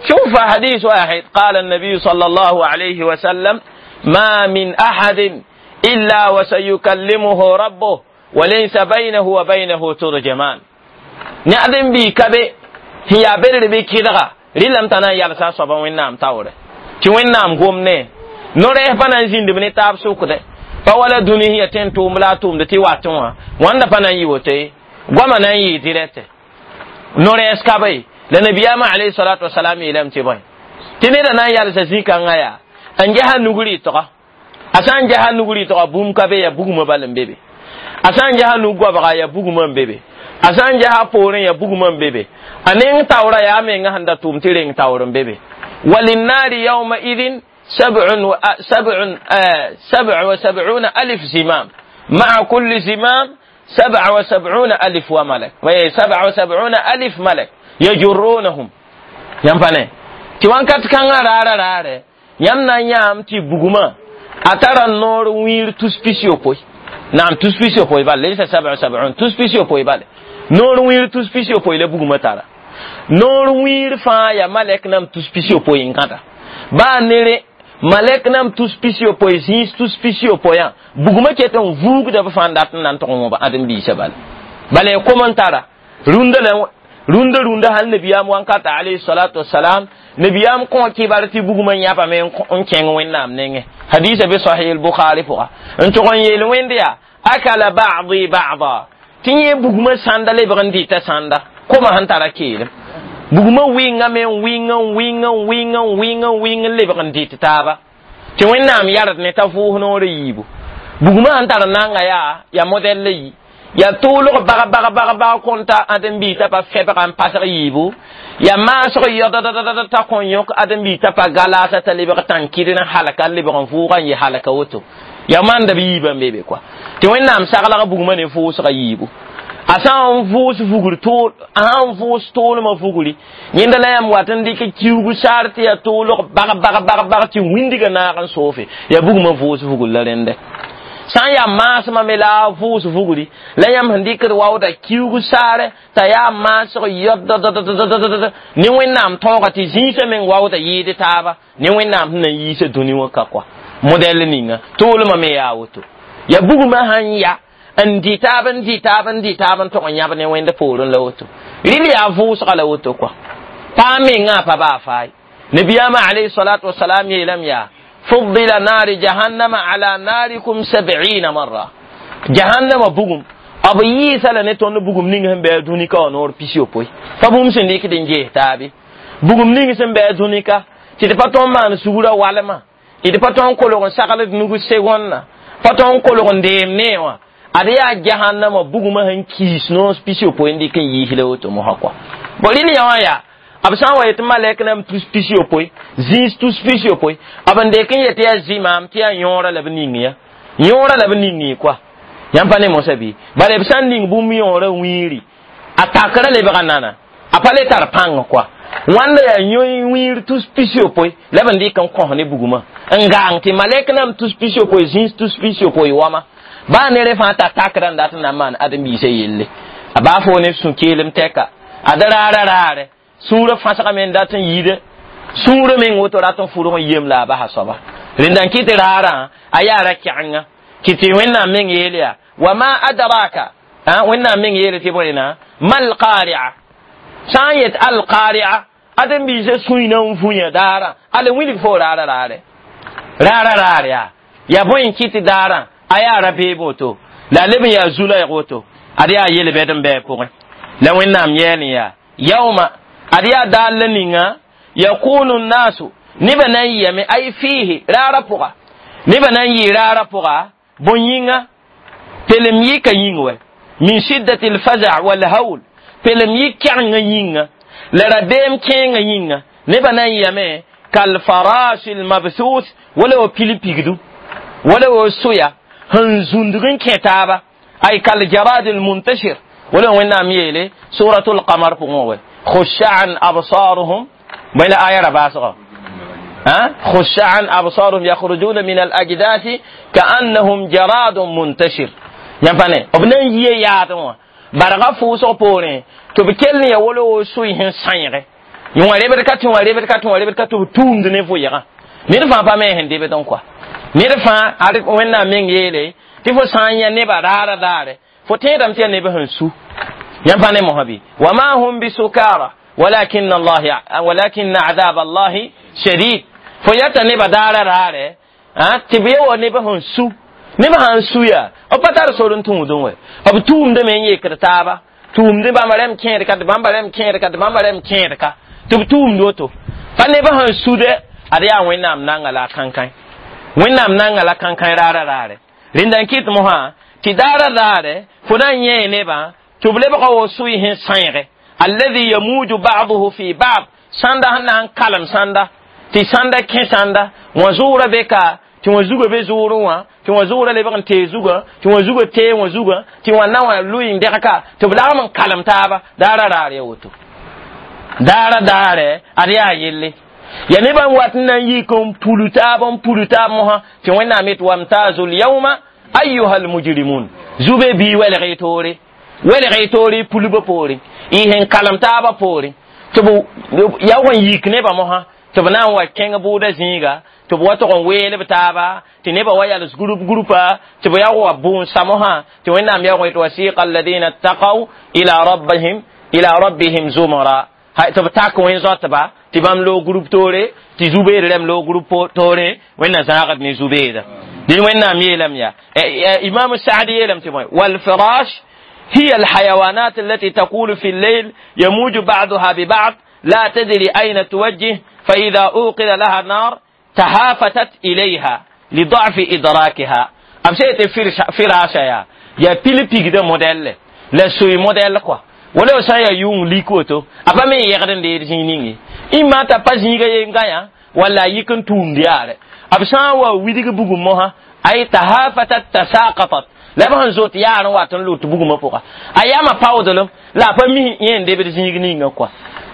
شوف حديث واحد قال النبي صلى الله عليه وسلم ما من أحد إلا وسيكلمه ربه وليس بينه وبينه ترجمان نعدم بي كبي هي بر بي كدغا ريلم تنا يالسا صبا وينام تاوره تي وينام غوم نه نوره بانا زيند بني تاب سوكده pa wala duni hiya ten tʋʋm la a tʋʋmd tɩ watẽ wã wãnda pa na n yɩ woto ye goamã na n yɩɩ dirɛte no-rɛɛs ka be la nabiyaamã alayhi salatu wasalam yeelame tɩ bõe tɩ neda na n yalsa zĩ-kãngã yaa n ges a nug rɩtga a sã n ges a nug rɩtga bũmb ka be ya bugmã bal n be be a sã n ges a nug goabga ya bugmã n be be a sã n ges a poorẽ ya bugmã n be be a neng taoora yaa menga sẽn da tʋʋm tɩ reng taoor n be be walinnari yawma idin سبع و سبع سبع وسبعون ألف زمام مع كل زمام سبع وسبعون ألف وملك سبع وسبعون ألف ملك يجرونهم ينفني تي وانكات كان رارا رارا يمنا يام تي بغما أترى النور وير تسبيسيو بوي نعم تسبيسيو بوي بال ليس سبع وسبعون تسبيسيو بوي بال نور وير تسبيسيو بوي لبغما ترى نور وير فا يا ملك نام تسبيسيو بوي انكاتا با نيري malek nam tus pisi yopoe zĩis tus pisi yopoe yã bugmã ket n vuugda b fãa n dat n na n tʋg n wõba ãdem-biisã bala bala ya kom n tara rũndã la rũndã rũndã hal nabiyaam wankata alayhi salatu wasalam nabiyaam kõ kibar tɩ bugmã yãbame n kẽng wẽnnaam nengẽ hadisa be sahih al-bukhari pʋga n tʋg n yeel wẽnd yaa akala ba'di ba'da tɩ yẽ bugmã sãnda lebg n dɩta sãnda koma sẽn tara keelem bugma wɩngame n wɩng n wɩng n wɩng n wɩng n wɩng n lebg n dɩt taaba tɩ wẽnnaam yard ne t'a vʋʋs noorã yiibu bugma sẽn tar nanga yaa yaa modɛl la yi yaa tʋʋlg bag bag bag bag kõn ta ãdem-biis t'a pa fɛbga n pasg yiibu yaa maasg yɔdadadada t'a kõn yõk ãdem-biis t'a pa galaasa t'a lebg tãn-kɩd n halka n lebg n vʋʋga n yɩ halka woto yaa manda b yiibã n be be kɔa tɩ wẽnnaam saglg bugmã ne vʋʋsga yiibu a sã n vʋʋs vugr tʋʋl a sã n vʋʋs tʋʋlmã vugri yẽnda la yãmb wat n dɩk kiuug saar tɩ yaa tʋʋlg bag bag bag bag tɩ wĩndgã naag n soofe yaa bugmã vʋʋs vugr la rẽndɛ sã n yaa maasmã me la a vʋʋs vugri la yãmb sẽn dɩkd waooda kiuug saare t'a yaa maasg yɔddddddd ne wẽnnaam tõoga tɩ zĩisã meng waooda yɩɩd taaba ne wẽnnaam sẽn na n yiisa dũni wã ka kɔa modɛl ninga tʋʋlmã me yaa woto yaa bugmã sãn ya n dɩ taab n dɩ taab n dɩ taab n tʋg n yãb ne wẽnd poorẽ la woto rɩl yaa vʋʋsga la woto kɔa paa mengã pa baa faay nabiyaamã alayhi salatu wasalam yeelame yaa fuddila naari jahannama ala naarikum sab'ina marra jahannama bugum b yɩɩsa la ne tõnd bugum ning sẽn bɩ a dũnika wã noor pis yopoe pa bũmb sẽn dɩkd n ges taabe bugum ning sẽn bɩ a dũnika tɩ d pa tõnd maan sugr walma d pa tõnd kolg n sagld nug segõnna pa tõnd kolg n deem nee wã ad yaa jahannama bugmã sẽn kiis noos pis yopoe n dɩk n yiis la woto mosã kɔa bo rɩl yã wã yaa b sã n wa yet malɛk nam tus pis yopoe zĩis tus pis yopoe b n dek n yet yaa zɩmaam tɩ yaa yõora la b ning ya yõora la b ning kɔa yãmb pa ne mosã bɩ bala b sã n ning bũmb yõora wĩiri a takrã lebga nana a pa le tar pãng kɔa wãnda yaa yõ wĩir tus pis yopoe la b n dɩk n kõs ne bugmã n gaang tɩ malɛk nam tus pis yopoe zĩis tus pis yopoe wama baa nere fãa t'a takrã n dat n na n maan ãdem-biisã yelle a baa fo ne sũ-keelem tɛka ad raara raarɛ sũurã fãsgame n dat n yiide sũurã meng woto rat n fʋrg n yem la a basa soaba rẽnda n kɩt raarã a yaa ra kɛgenga kɩ tɩ wẽnnaam meng yeel yaa wa ma adraka wẽnnaam meng yeele tɩ bõe mal qari'a sã n yet al qari'a ãdem-biisã sũy na n vũyã daarã ala wilg fo raara raarɛ raara raar yaa yaa bõe n kɩt daarã a yaa ra beeb woto la a leb n yaa zu-laɛg woto ad yaa yel-bɛd n bɩ a pʋgẽ la wẽnnaam yɛɛl n yaa yauma ad yaa daal la ninga yakunu nnasu nebã na n yɩyame ay fiihi raara pʋga nebã na n yɩ raara pʋga bõn yĩnga pelem yɩka yĩng wɛ min shiddati lfaza walhaul pelem yɩ kɛgenga yĩnga la rabeem kẽenga yĩnga nebã na n yɩyame kalfarasi lmabthus wala wa pil pigdu wala wa soya sẽn zũndg n kẽ taaba ay kaljarad lmuntashir wala wẽnnaam yeele suratu lqamar pʋgẽ wɛ خشعا أبصارهم بين آية رباسغة ها خشعا أبصارهم يخرجون من الأجداث كأنهم جراد منتشر ينفعني ابن يي ياتوا barga fʋʋsg poorẽ tɩ b kell n ya wolo wo soy sẽn sãeege yõ rebd ka tɩ wã rebd ka tɩ wã rebd ka tɩ b tũumd ne vʋɩgã ned fãa pa me sẽn debd n kɔa ned fãa ad wẽnnaam meng yeele tɩ fo sã n yã nebã raara daare fo tẽedame tɩ yaa neb sẽn su yãmb pa ne mosã bɩ wama hum bisukara walakin allah walakin adab allahi shadid fo yata nebã daara raare tɩ b ya wa neb sẽn su neb sãn su yaa b pa tar sor n tũudẽ wɛ b tũumdame n yekd taaba tũumd bãmba rẽm kẽed ka tɩ bãmba rẽm kẽed ka tɩ bãmba rẽm kẽed ka tɩ b tũumd woto pa neb sẽn sude ad yaa wẽnnaam nanga la a kãnkãe wẽnnaam nanga la kãnkãe raara raare rẽnda n kɩt mosã tɩ daara raare fo na n yẽ nebã tɩ b lebga wo sʋɩ sẽn sãeege alladhi yamuju ba'duhu fi ba'd sãnda sẽn na n kalem sãnda tɩ sãnda kẽ sãnda wã zʋʋra be ka Tɩ wã zugã be zʋʋrẽ wã, tɩ wã zʋʋrã lebg n tee zugã, tɩ wã zugã tee wã zugã, tɩ wã na wã lʋɩ n dɛgka, tɩ b lagm n kalem taaba. Daara raar ya woto, daara daare ad yaa yelle ya nebã n wat n na n yik n pulu taab n pulu taab mosã, tɩ Wẽnnaam yet wamtazu lyawma ayuha almujrimun. Zube bii welg y toore, welg y toore y pulbã poorẽ, y sẽn kalem taabã poorẽ, tɩ b yaoog n yik nebã mosã, tɩ b na n wa kẽng bʋʋda zĩiga, tɩ b wa tog n weelb taaba, tɩ nebã wa yals grup grupa, tɩ b yaoog wa bũun-sa mosã, tɩ Wẽnnaam yaoog yet wasiqa alladina ttaqaw ila rabbihim ila rabbihim zumara, tɩ b tak wẽn-zoatba, tɩ bãmb loog grup toore, tɩ zu-beed rɛm loog grup toore. Wẽnna zãagd ne zu-beeda. Dẽn Wẽnnaam yeelame yaa Imam Saadi yeelame tɩ bõe walfirash هي الحيوانات التي تقول في الليل يموج بعضها ببعض لا تدري أين توجه، فإذا أوقد لها نار تهافتت إليها لضعف إدراكها. أمشيت فراشة يا يا بيلي بيك ده موديل لا سوي موديل كوا ولا سايا يوم ليكوتو أبا مي يغدن دير زينيني إما تبازيغا ينغايا ولا يكن توم ديار أبسان ويديك بوغو موها أي تهافتت تساقطت la b sẽn zot yaar n wat n lut bugmã pʋga a yama paoodlem la a pa mis yẽ n debd zĩig ninga kɔa.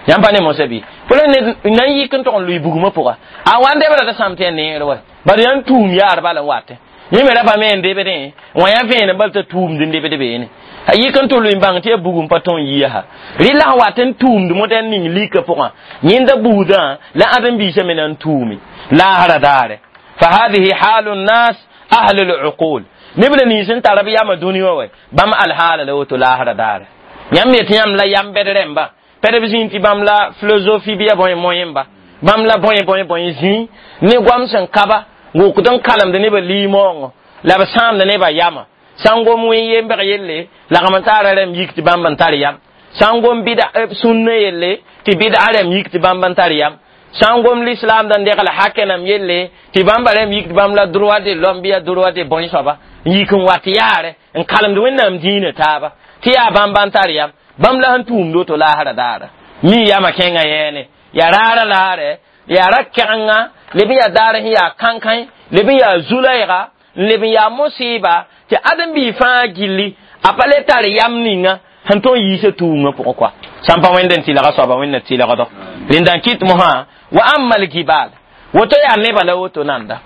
Yãmb pa ne mosã bɩ fo la ned na n yik n tog n lʋɩ bugmã pʋga a wa n debra t'a sãm tɩ ya neer wa bad yaa n tuum yaar bala n watẽ yẽ me ra pa me n debdẽ wã yaa vẽenem bal t'a tuumd n debd beene a yik n tɩ lʋɩ n bãng tɩ ya bugum pa tõe n yiasa rɩ la sẽn wat n tuumd modɛl ning lika pʋgã yẽnda buudã la ãdem-biisã me na n tuume laasra daare. Fa hadihi halu nnas ahlu luqul neb la nins n tar b yama dũni wã wa bãmb alhaala la woto laasra daare. Yãmb yetɩ yãmb la yam bɛd rẽmba pɛd b zĩig tɩ bãmb la philosophie bɩ ya bõe moẽmba bãmb la bõe bõe bõe zĩig ne goam sẽn kaba wʋkd n kalemd nebã liimoongõ la b sãamd nebã yama sã n gom wẽn yembg yelle lagm n taara rẽmb yik tɩ bãmb n tar yam, sã n gom bɩda sũnnã yelle tɩ bɩd'a rẽmb yik tɩ bãmb n tar yam, sã n gom l'islam da n degl hakenam yelle tɩ bãmba rẽmb yik tɩ bãmb la droit de l'homme bɩ ya droit de bõe soaba n yik n wat yaare n kalemd Wẽnnaam dĩinã taaba tɩ yaa bãmb n tar yam bãmb la sẽn tũumd woto laasra daara mi yama kẽngã yɛɛne yaa raara laare yaa ra kɛgenga leb n yaa daar sẽn yaa kãnkãe leb n yaa zu-laɛɛga n leb n yaa mosɩɩba tɩ ãdem-biig fãa gilli a pa le tar yam ninga sẽn tõe n yiisa tuumã pʋgẽ kɔa sãn pa Wẽnd n tɩlga soaba Wẽnna tɩlgdɔ rẽnda n kɩt mosã wa amma lgibal woto yaa nebã la woto nanda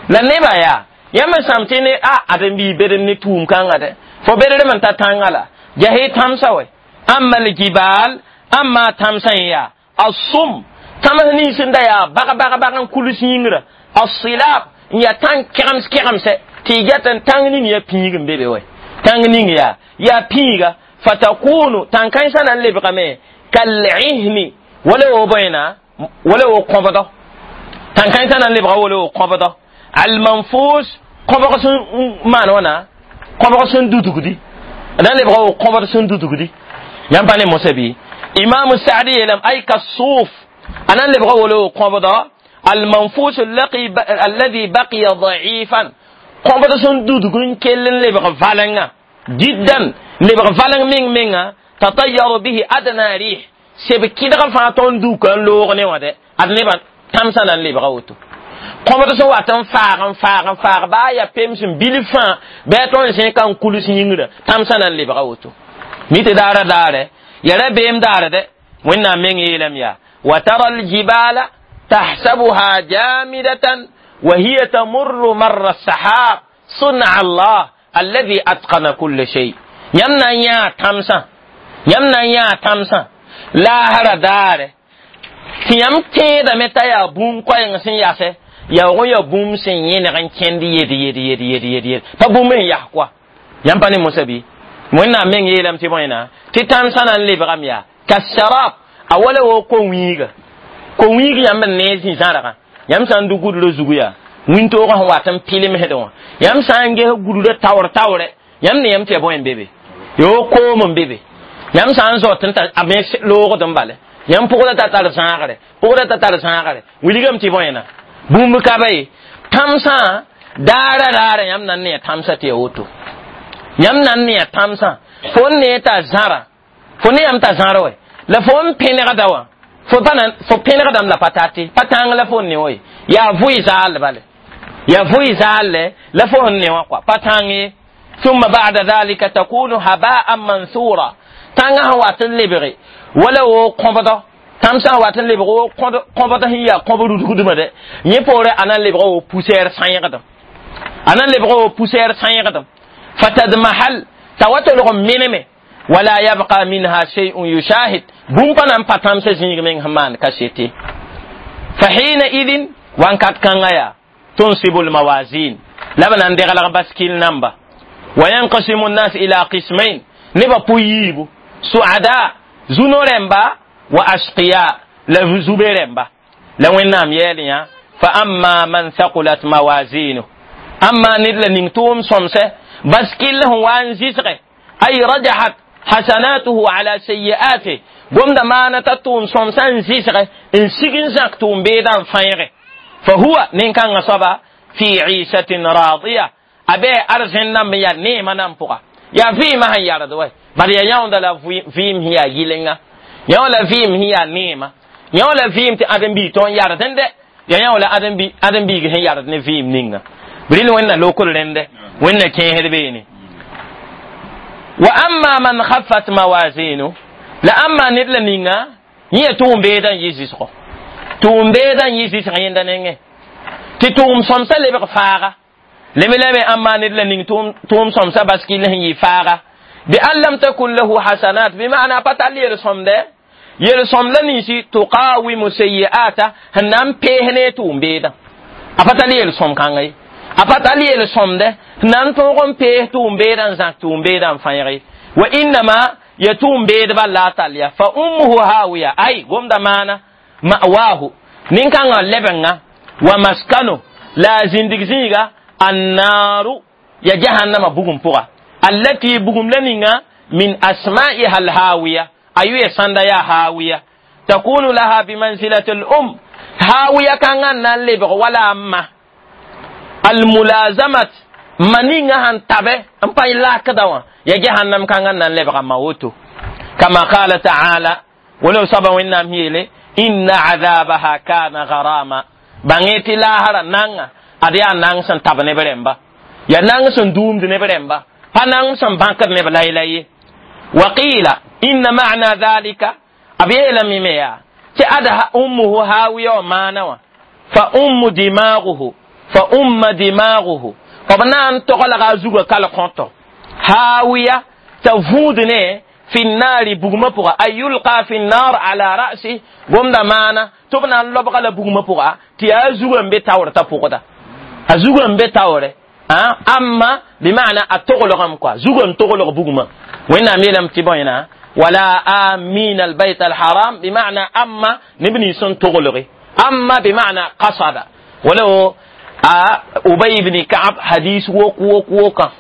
la nebã yaa yãmb n sãm tɩ ne a ãdem-biig bed ne tũum kãnga dɛ fo bedrem n ta tãngã la jas tãmsã wɛ amma lgibal amma tãmsã n yaa assum tãms nins n da yaa bag bag bag n kuls yĩngrã assilab n yaa tãng kɛgems kɛgemsɛ tɩ y get n tãng ning ya pĩig n be be wɛ tãng ning yaa yaa pĩiga fatakunu tãn-kãensã na n lebgame kal'ihni wala wo bõena wala wo kõbdɔ tãn-kãensã na n lebga wala wo kõbdɔ almanfus kõbg sẽn maan wãna kõbg sẽn dudgdi na n lebga wo kõbd sẽn dudgdi yãmb pa ne mosã bɩ Imam Saadi yeelame ay kasuf a na n lebga wala wo kõbdɔ almanfus alladhi baqiya da'ifan kõbd sẽn dudg n kell n lebg valenga jiddan lebg valeng meng menga tatayyaru bihi adna rih seb kɩdg fãa tõnd duka n loog ne wã dɛ ad nebã tãmsã na n lebga woto kõbd sẽn wat n faag n faag n faag baa yaa pems n bilf fãa bɩ a tõnd zẽ ka n kuls yĩngrã tãmsã na n lebga woto mi tɩ daara daare ya ra beem daare dɛ Wẽnnaam meng yeelame yaa wa tara aljibala tahsabuha jamidatan wa hiya tamurru marra sahab sun'a Allah alladhi atqana kulla shay. Yãmb na n yãa tãmsã yãmb na n yãa tãmsã laasra daare tɩ yãmb tẽedame t'a yaa bũmb koɛɛng sẽn yasɛ yaoog n yaa bũmb sẽn yẽneg n kẽnd yed yed yed yed yed yed pa bũmb sẽn yas koa yãmb pa ne mosã bɩ Wẽnnaam meng yeelame tɩ bõena tɩ tãmsã na n lebgame yaa kasarab a wala wo ko-wĩiga ko-wĩig yãmb n nee zĩ-zãrgã yãmb sã n dʋ gudrã zugu yaa wĩntoogã sẽn wat n pɩlemsdẽ wã yãmb sã n ges gudrã taoor taoorɛ yãmb ne yãmb tɩ ya bõe n be be yoo koom n be be yãmb sã n zaot n ta a me loogd n bale yãmb pʋgda ta tar zãagre pʋgda ta tar zãagre wilgame tɩ bõena bũmb ka ba ye tãmsã daara raara yãmb na n ne ya tãmsã tɩ ya woto yãmb na n ne ya tãmsã fo n nee t'a zãra fo ne yãmb t'a zãra wɛ la fo n pẽnegda wã fo pa na fo pẽnegdame la pa tate pa tãng la fo n ne wa ye yaa vʋɩ zaal bale Ya vʋɩ zaal la fo sẽn ne wã kɔa pa tãng ye. Thumma ba'da dhalika takunu haba'an mansura, tãngã sẽn wat n lebge wala wo kõbdɔ, tãm sã n wat n lebg wo kõbd sẽn yaa kõb rudgdmã dɛ, yẽ poore a na n lebga wo poussière sãyẽgdem, a na n lebga wo poussière sãyẽgdem. Fatadmahal, t'a wa tolg n meneme, wala yabqa minha shay'un yushahid, bũmb pa na n pa tãmsã zĩig meng sẽn maan kasete. Fa hina idin, wankat kãngã yaa tunsibu lmawazin, la b na n deglg baskil namba, wa yanqasimu nnas ila qismain, nebã pʋ yiibu, suada zuno rẽmba wa ashqiya la zube rẽmba. La Wẽnnaam yɛɛl yã: fa amma man thaqulat mawazinu, amma ned la ning tʋʋm sõmsɛ baskil sẽn wa n zɩsge, ay rajahat hasanatuhu ala sayi'atih, gomda maana t'a tʋʋm sõmsã n zɩsge n sig n zãk tʋʋm beedã n fãeege, fa huwa nin-kãngã soaba fi isatin radiya, a bɩ arzẽn namb n yaa neemã nan pʋga, yaa vɩɩmã sẽn yard wɛ, bad yaa yãoonda la vɩɩm sẽn yaa yɩlenga, yão la vɩɩm sẽn yaa neema, yão la vɩɩm tɩ ãdem-biig tõnd yard n dɛ, ya yão la ãdem-biig sẽn yard ne vɩɩm ninga bril Wẽnna lokr rẽndɛ, Wẽnna kẽesd beene. Wa amma man khaffat mawazinu, la amma ned la ninga yẽ ya tʋʋm beedã n yɩ zɩsgɔ, tʋʋm beedã n yɩ zɩsg yẽnda nengẽ tɩ tʋʋm sõmsã lebg faaga leme lame, amma ned la ning tʋʋm sõmsã baskil sẽn yɩ faaga, bi an lam takun lahu hasanat, bima'na pa tall yel-sõmdɛ, yel-sõm la ninsi tuqawimu sayi'ata, sẽn na n pees ne tʋʋm beedã, a pa tall yel-sõm kãnga ye, a pa tall yel-sõmdɛ sẽn na n tõog n pees tʋʋm beedã n zãk tʋʋm beedã n fãeege, wa innama ya tʋʋm beedba la a tall ya, fa ummuhu hawiya, ay gomda maana ma'wahu, nin-kãngã lebengã wa maskano la a zĩndig zĩiga annaru, ya jahannama bugum pʋga, allati bugum la ninga min asma'iha alhawiya, a yʋ sãnda yaa hawiya, takunu laha bimanzilati al-um, hawiya kãngã n na n lebg wala a ma almulazamat, ma ninga sẽn tabe n pa lakda wã, ya jahannam kãngã n na n lebga ma woto, kama qala taala, wala soaba Wẽnnaam yeele: inna adabaha kana garama, bãng tɩ laasra nanga ad yaa nang sẽn tab neb rẽmba, yaa nang sẽn duumd neb rẽmba, pa nang sẽn bãkd neb layla ye. Wa qila inna ma'na dhalika, b yeelame me yaa tɩ ad ummuhu hawiya wã maana wã fa ummu dimaguhu, fa umma dimaguhu, b na n toglga a zugã kal kõto hawiya t'a vũud ne fi nnaari bugmã pʋga, ay yulqa fi nnar ala ra'si, gomda maana tɩ b na n lobga la bugmã pʋga tɩ yaa a zugã n be taoor t'a pʋgda, a zugã n be taoore, amma bima'na a toglgame kɔa, zugã n toglg bugmã. Wẽnnaam yeelame tɩ bõe wala amin albayt alharam, bima'na amma neb nins sẽn toglge, amma bima'na qasada, wala a Ubay ibn Ka'ab hadis wok wok woka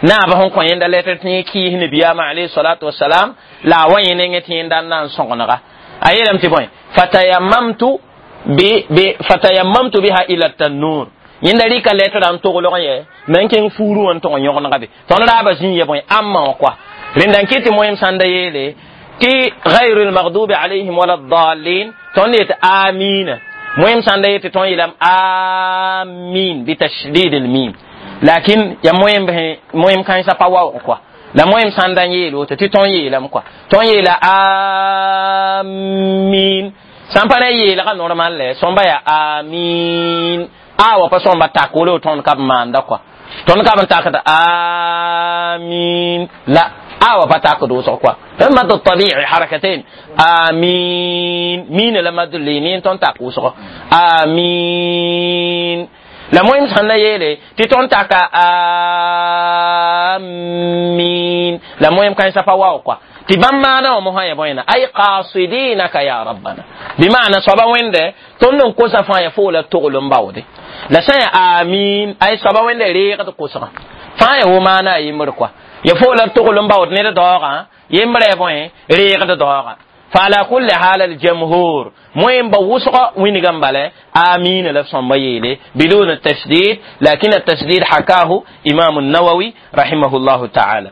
naaba sẽn kõ yẽnda letr tɩ yẽ kɩɩs nabiyaamã alayhi salatu wasalam, la a wa yẽ nengẽ tɩ yẽnda n na n sõgenega, a yeelame tɩ bõe fatayammamtu bi bi fatayammamtu biha ila tannur, yẽnda rɩka letrã n toglg yɛ me n kẽng fuuru wã n tog n yõgenega be tõnd raaba zĩ ya bõe amma wã koa rẽnda n kɩt tɩ moem sãn da yeele tɩ gayru lmagdubi alayhim wala dalin, tõnd yet amina, moem sãn da yetɩ tõnd yeelame amin bitashdid lmim, lakin ya moem moem kãensã pa waoog koa, la moem sãn da n yeel woto tɩ tõnd yeelame koa, tõnd yeela amin sãn pa na yeelga normal lɛ sõmba yaa amin a wa pa sõmba tak wolo tõnd ka b maanda koa, tõnd ka b n takd amin la a wa pa takd wʋsg koa, mad tabi'i harakatain amin min la mad linin tõnd tak wʋsg amin, la moem sãn na yeele tɩ tõnd taka amin, la moem kãensã pa waoog koa, tɩ bãmb maana wã mosã ya bõena ay qasidinaka ya rabbana, bima'na soaba Wẽnde tõnd n kosa fãa ya foo la togl n baoode, la sã ya amin ay soaba Wẽnde reegd kosgã fãa ya wo maana a yembr koa, ya foo la togl n baood ned daoogã yembrã ya bõe reegd daoogã. فعلى كل حال الجمهور مهم بوسق وين جنبله آمين لفظ بيلي بدون التشديد، لكن التشديد حكاه إمام النووي رحمه الله تعالى.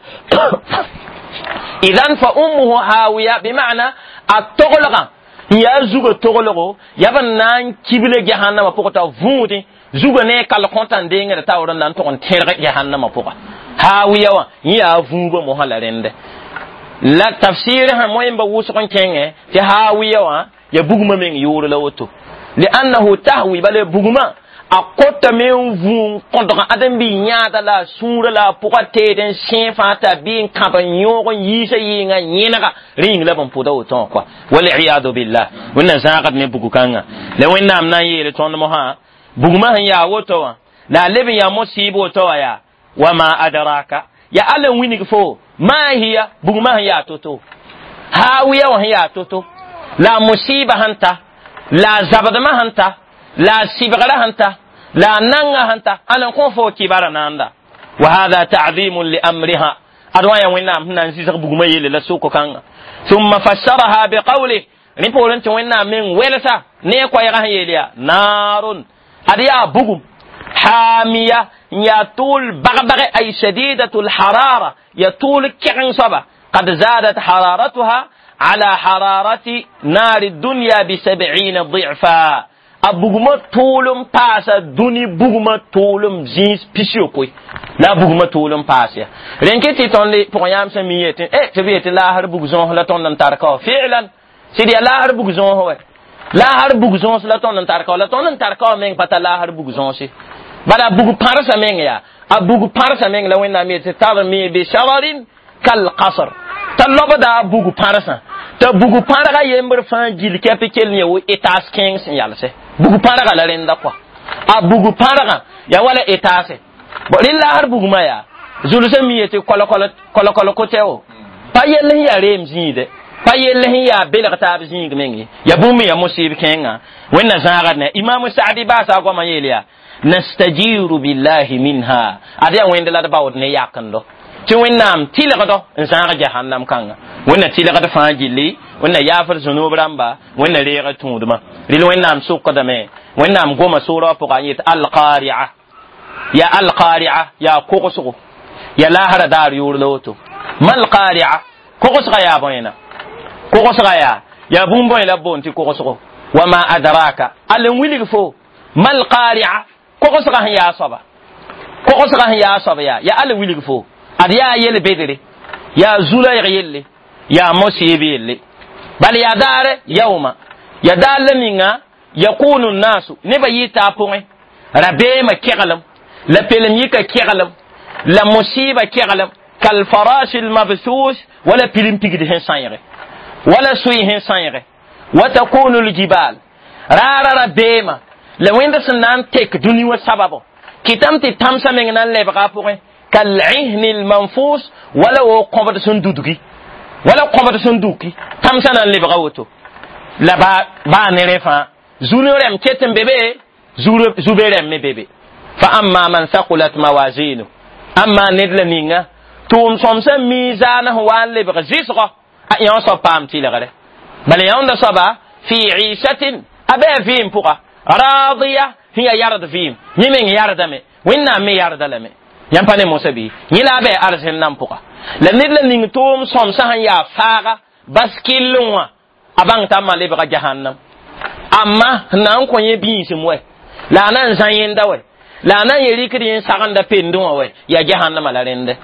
إذن فأمه هاوية بمعنى التغلغة N yaa zugã toglgo yaa b n na n kible jahannama pʋgã t'a võodẽ zugã ne a kal kõta n dengd taoor n na n tʋg n tẽrg jahannama pʋga haawiya wã yẽ yaa vũubã mosã la rẽnde la tafsir sã moẽmba wʋsg n kẽngẽ tɩ haawiya wã ya bugmã meng yʋʋr la woto liannahu tahwi bala bugmã a kotame n vũ n kõdg ãdem-bi yãada la a sũurã la a pʋga teed n sẽe fãa t'a bɩ n kãb n yõog n yiisa yɩɩngã yẽnega rẽ yĩng la b n pʋda woto wã kɔa waliyadu billah wẽnna zãagd ne bug-kãngã la wẽnnaam na n yeele tõnd mosã bugmã sẽn yaa woto wã la a leb n yaa mosɩɩb woto wã yaa wama adraka ya alla n wilg fo ma hiya bugmã sẽn yaa to-to haawiya wã sẽn yaa to-to la a musiba sẽn ta la a zabdmã sẽn ta la a sɩbgrã sẽn ta la a nanga sẽn ta ãn n kõ fo kibara naanda wa hada ta'zimun li amriha ad wã yaa wẽnnaam sẽn na n zɩsg bugmã yelle la soko kãnga thumma fassaraha biqawlih rẽ poorẽ tɩ wẽnnaam meng welsa ne a koɛɛgã sẽn yeel yaa naarun ad yaa bugum حامية يا طول بغبغ أي شديدة الحرارة يا طول كعن صبا قد زادت حرارتها على حرارة نار الدنيا بسبعين ضعفا أبوغما طولم باسا دوني بوغما طولم زينس بيسيو كوي لا بوغما طولم باسا رينكي تي تون لي بوغيام سمية إيه تبي لا هر بوغزون لا تون نتاركو فعلا سيدي لا هر بوغزون هو لا هر بوغزون لا تون نتاركو لا تون نتاركو مين باتا لا هر بوغزون سي bala bug pãrsa meng yaa a bug pãrsa meng la wẽnnaam yetɩ tarmi bishararin kalqasr t'a lobda a bug pãrsã t'a bug pãrga yembr fãa gil kɛp kell n ya wo etaas kẽeng sẽn yalse bug pãrga la rẽnda kɔa a bug pãrgã ya wala etaase bo rẽ laasr bugmã yaa zulsã mi yetɩ kolkol kotɛo pa yell sẽn yaa reem zĩide pa yell sẽn yaa belg taab zĩig meng ye ya bũmb ya musib kẽengã wẽnna zãagd ne imaam saadi baasa goamã yeel yaa nastajiru billahi minha ad yaa wẽnd la d baood ne yakendo tɩ wẽnnaam tɩlgdo n zãag jahannam kãnga wẽnna tɩlgd fãa gilli wẽnna yaafd zũnub rãmba wẽnna reeg tũudmã rɩl wẽnnaam sʋkdame wẽnnaam goma soorã pʋga n yet alqaria ya alqaria yaa kogsgo ya laasra daar yʋʋr la woto malqaria kogsga yaa bõena kogsga yaa yaa bũmb bõe la b boond tɩ kogsgo wama adraka all n wilg fo malqaria kogsga sẽn yaa soaba kogsga sẽn yaa soab yaa yaa all wilg fo ad yaa yel bedre yaa zulaɩg yelle yaa mosɩɩb yelle bal yaa daare yauma ya daar la ninga yakunu nnasu nebã yɩ a pʋgẽ rabeemã keglem la pelem yika keglem la musiba keglem kalfarashi lmabthus wala pilim pigd sẽn sãeege wala sʋɩ sẽn sãeege wa takunu ljibal raara rabeemã la wẽnd sẽn na n tek dũni wã sababo kɩtame tɩ tãmsã meng na n lebga a pʋgẽ kal'ihni lmanfus wala wo kõbd sẽn dudgi wala kõbd sẽn duki tãmsã na n lebga woto la baa ne rẽ fãa zũni rɛm ket n be be zube rɛm me be be fa amma man thaqulat mawazinu amma ned la ninga tʋʋm sõmsã miizaanã sẽn wa n lebg zɩsgɔ a yõ soab paam tɩlgre bala yãonda soaba fi isatin a bɩ a vɩɩm pʋga radiya sẽn yaa yard vɩɩm yẽ meng yardame wẽnnaam me yarda lame yãmb pa ne mosã bɩ yẽ la a bɩ arzẽn nan pʋga la ned la ning tʋʋm sõmsã sẽn yaa faaga bas kɩllẽ wã a bãng t'a ma lebga jahannam amma sẽn na n kõ yẽ biisem wɛ la a na n zã yẽnda wɛ la a na n ye rɩkd yẽ sagenda pendẽ wã wɛ yaa jahannama la rẽndɛ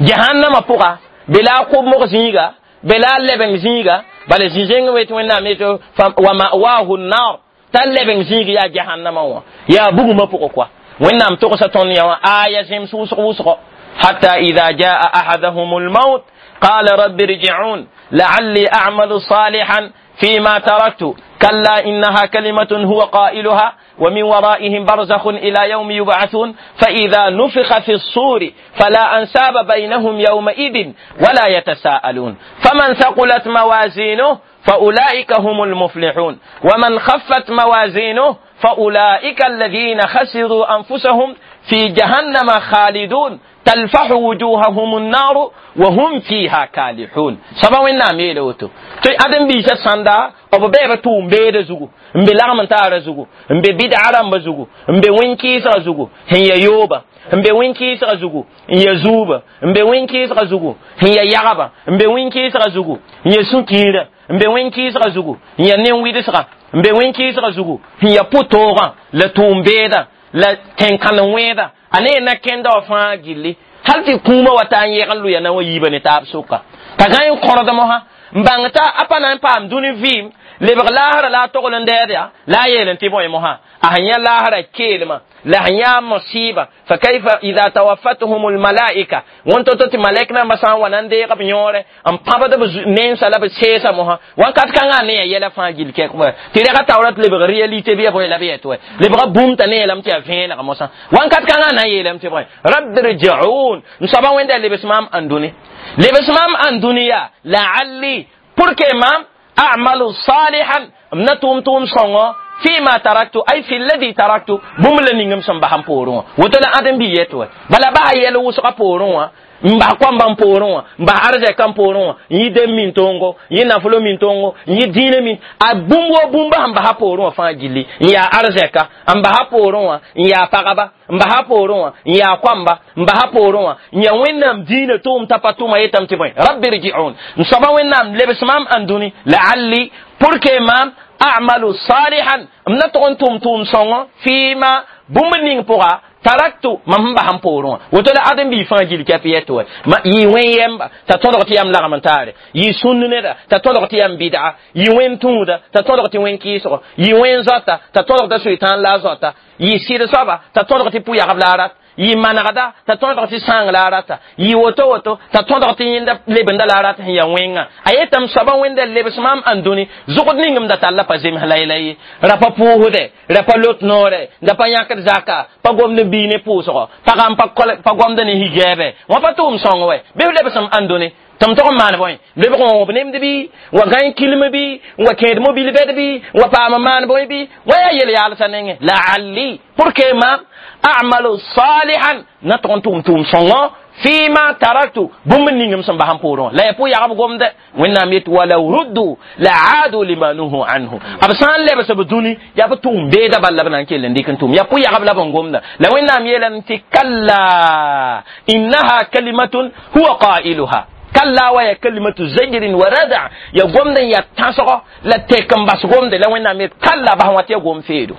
jahannama pʋga be la a kʋbmg zĩiga be la a lebeng zĩiga bala zĩ-zẽng wet wẽnnaam yeto wa mawahu nnar t'a lebeng zĩig yaa jahannama wã yaa bugmã pʋgẽ koa wẽnnaam togsa tõnd yã wã aya zẽms wʋsg wʋsgo hatta ida jaa ahadahum lmaut qala rabbi irji'un la'alli a'malu salihan فيما تركت كلا إنها كلمة هو قائلها ومن ورائهم برزخ إلى يوم يبعثون فإذا نفخ في الصور فلا أنساب بينهم يومئذ ولا يتساءلون فمن ثقلت موازينه فأولئك هم المفلحون ومن خفت موازينه فأولئك الذين خسروا أنفسهم في جهنم خالدون تلفح وجوههم النار وهم فيها كالحون سبا وين نام يلوتو تي ادم بيسا ساندا او بيبا تو مبيد زوغو مبي لغم تارا زوغو مبي بدعة رمبا زوغو مبي وين كيسا زوغو هي يوبا n be wẽn-kɩɩsgã zugu n ya zuubã n be wẽn-kɩɩsgã zugu n ya yagba n be wẽn-kɩɩsgã zugu n ya sũ-kiirã n be wẽn-kɩɩsgã zugu n ya nen-wɩdsgã n be wẽn-kɩɩsgã zugu n ya pʋ-toogã la tʋʋm-beedã la tẽn-kãn-wẽedã a ne na kẽnda wã fãa gilli hal tɩ kũumã wa taa n yɛg n lʋya na wa yiibã ne taab sʋka t'a gã n kõrd mosã n bãng t'a a pa na n paam dũni vɩɩm lebg laasra la a togl n dɛɛd yaa la a yeel n tɩ bõe mosã a sẽn yã laasra keelmã la sẽn yã masiiba fa kaifa ida tawaffatuhum lmalaika wẽn to-to tɩ malɛk nambã sã n wa na n deeg b yõore n pãbd b mensa la b seesa mosã wãnkat kãngã ne ya yɛla fãa gill kɛk tɩ rɛga taoora tɩ lebg réalité bɩ ya bõe la b yɛt wɛ lebga bũmb t'a ne yeelame tɩ yaa vẽeneg mosã wãnkat kãngã na n yeelame tɩ bõe rabbi rjiun n soaba wẽnda lebs maam ãndũni lebs maam ãndũni yaa laalli pour que maam أعمل صالحا m na tʋʋm tʋʋm sõngo فيما تركت أي في الذي تركت bũmb la ning m sẽn bas n poorẽ wã woto la ãdem bi yet wɛ bala baa yɛl wʋsgã poorẽ wã n bas koamba n poorẽ wã n bas arzɛka n poorẽ wã n yɩ dem min tongo n yɩ nafolo min tongo n yɩ dĩinã min a bũmb wo bũmba sẽn basa poorẽ wã fãa gilli n yaa arzɛka n basa poorẽ wã n yaa pagba n basa poorẽ wã n yaa koamba n basa poorẽ wã n yaa wẽnnaam dĩinã tʋʋm t'a pa tʋma yetame tɩ bõe rabbi rjiun n soaba wẽnnaam lebs maam ãndũni laalli pour que maam a'malu salihan m na tʋg n tʋm tʋʋm sõngo fɩɩma bũmb ning pʋga taraktu mam sẽn bas n poorẽ wã woto la ãdem-biig fãa gill kɛp yɛt wɛ yɩ wẽn yɛmba t'a tõdg tɩ yam lagm n taare yɩ sũnd neda t'a tõdg tɩ yam bɩdga yɩ wẽn tũuda t'a tõdg tɩ wẽn kɩɩsgo yɩ wẽn zoata t'a tõdg t'a soetãan la a zoata yɩ sɩd soaba t'a tõdg tɩ pʋ-yagb la a rat yɩ manegda t'a tõdg tɩ sãang la a rata yɩ woto woto t'a tõdg tɩ yẽnda lebenda la a rat sẽn yaa wẽnga a yetame soaba wẽnda lebs maam ãndũni zʋgd ning m da talla pa zems la-y-la ye ra pa pʋʋsdɛ ra pa lot noorɛ da pa yãkd zaka pa gomd n bii ne pʋʋsgɔ pagã n pa gomd ne higɛɛbɛ wã pa tʋʋm sõng wɛ bɩ f lebsem ãndũni tɩ m tog n maan bõe lebg n wõb nemd bɩ wa gãe kilm bɩ wa kẽed mobil bɛd bɩ wa paam n maan bõe bɩ wa yaa yel-yaalsã nengẽ laalli pour que maam a'malu salihan na tʋg n tʋʋm tʋʋm sõngõ fima taraktu bũmb ning m sẽn bas n poorẽ wã la ya pʋ-yagb gomdɛ wẽnnaam yet walaw ruddu la aadu lima nuhu anhu b sã n lebs b dũni yaa b tʋʋm beeda bal la b na n kell n dɩk n tʋʋm yaa pʋ-yagb la b n gomda la wẽnnaam yeelame tɩ kalla innaha kalimatun huwa qailuha kalla wa ya kalimatu zajrin wa rada ya gomd n ya tãsgo la tek n bas gomde la wẽnnaam yet kalla bas wã tɩ ya gom feedo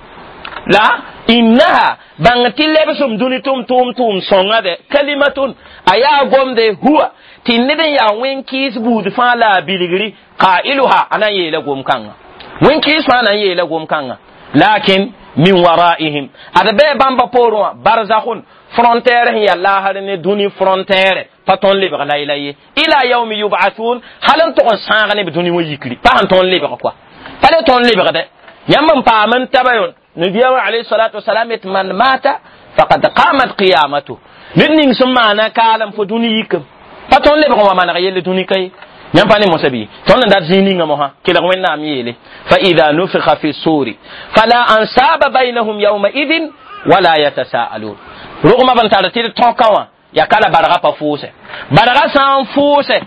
la innaha bãng tɩ lebsem dũni tʋm tʋʋm tʋʋm sõnga dɛ kalimatun a yaa gomde huwa tɩ ned n yaa wẽn-kɩɩs buud fãa la a bilgri qailuha a na n yeela gom-kãngã wẽn-kɩɩs fãa na n yeela gom-kãngã lakin min waraihim ad bɩ bãmba poorẽ wã barzakhun frontière sẽn yaa laasr ne dũni frontière pa tõnd lebg layla ye ila yaumi yub'athun hal n tʋg n sãag ne b dũni wã yikri pa sẽn tõnd lebg koa pa le tõnd lebgdɛ yãmb n paam n taba yon nabiyaamã alayhi salatu wasalam yet man mata faqad qamat qiyamatu ned ning sẽn maana kaalem fo dũni yikam pa tõnd lebg n wa maneg yelle dũni ka ye yãmb pa ne mosã bɩ tõnd n dat zĩig ninga mosã kelg wẽnnaam yeele fa ida nufikha fi suri fala ansaba bainahum yawmaidin wala yatasaalun rogmã b n tar tɩ d tõka wã yaa ka la barga pa fʋʋsɛ barga sã n fʋʋsɛ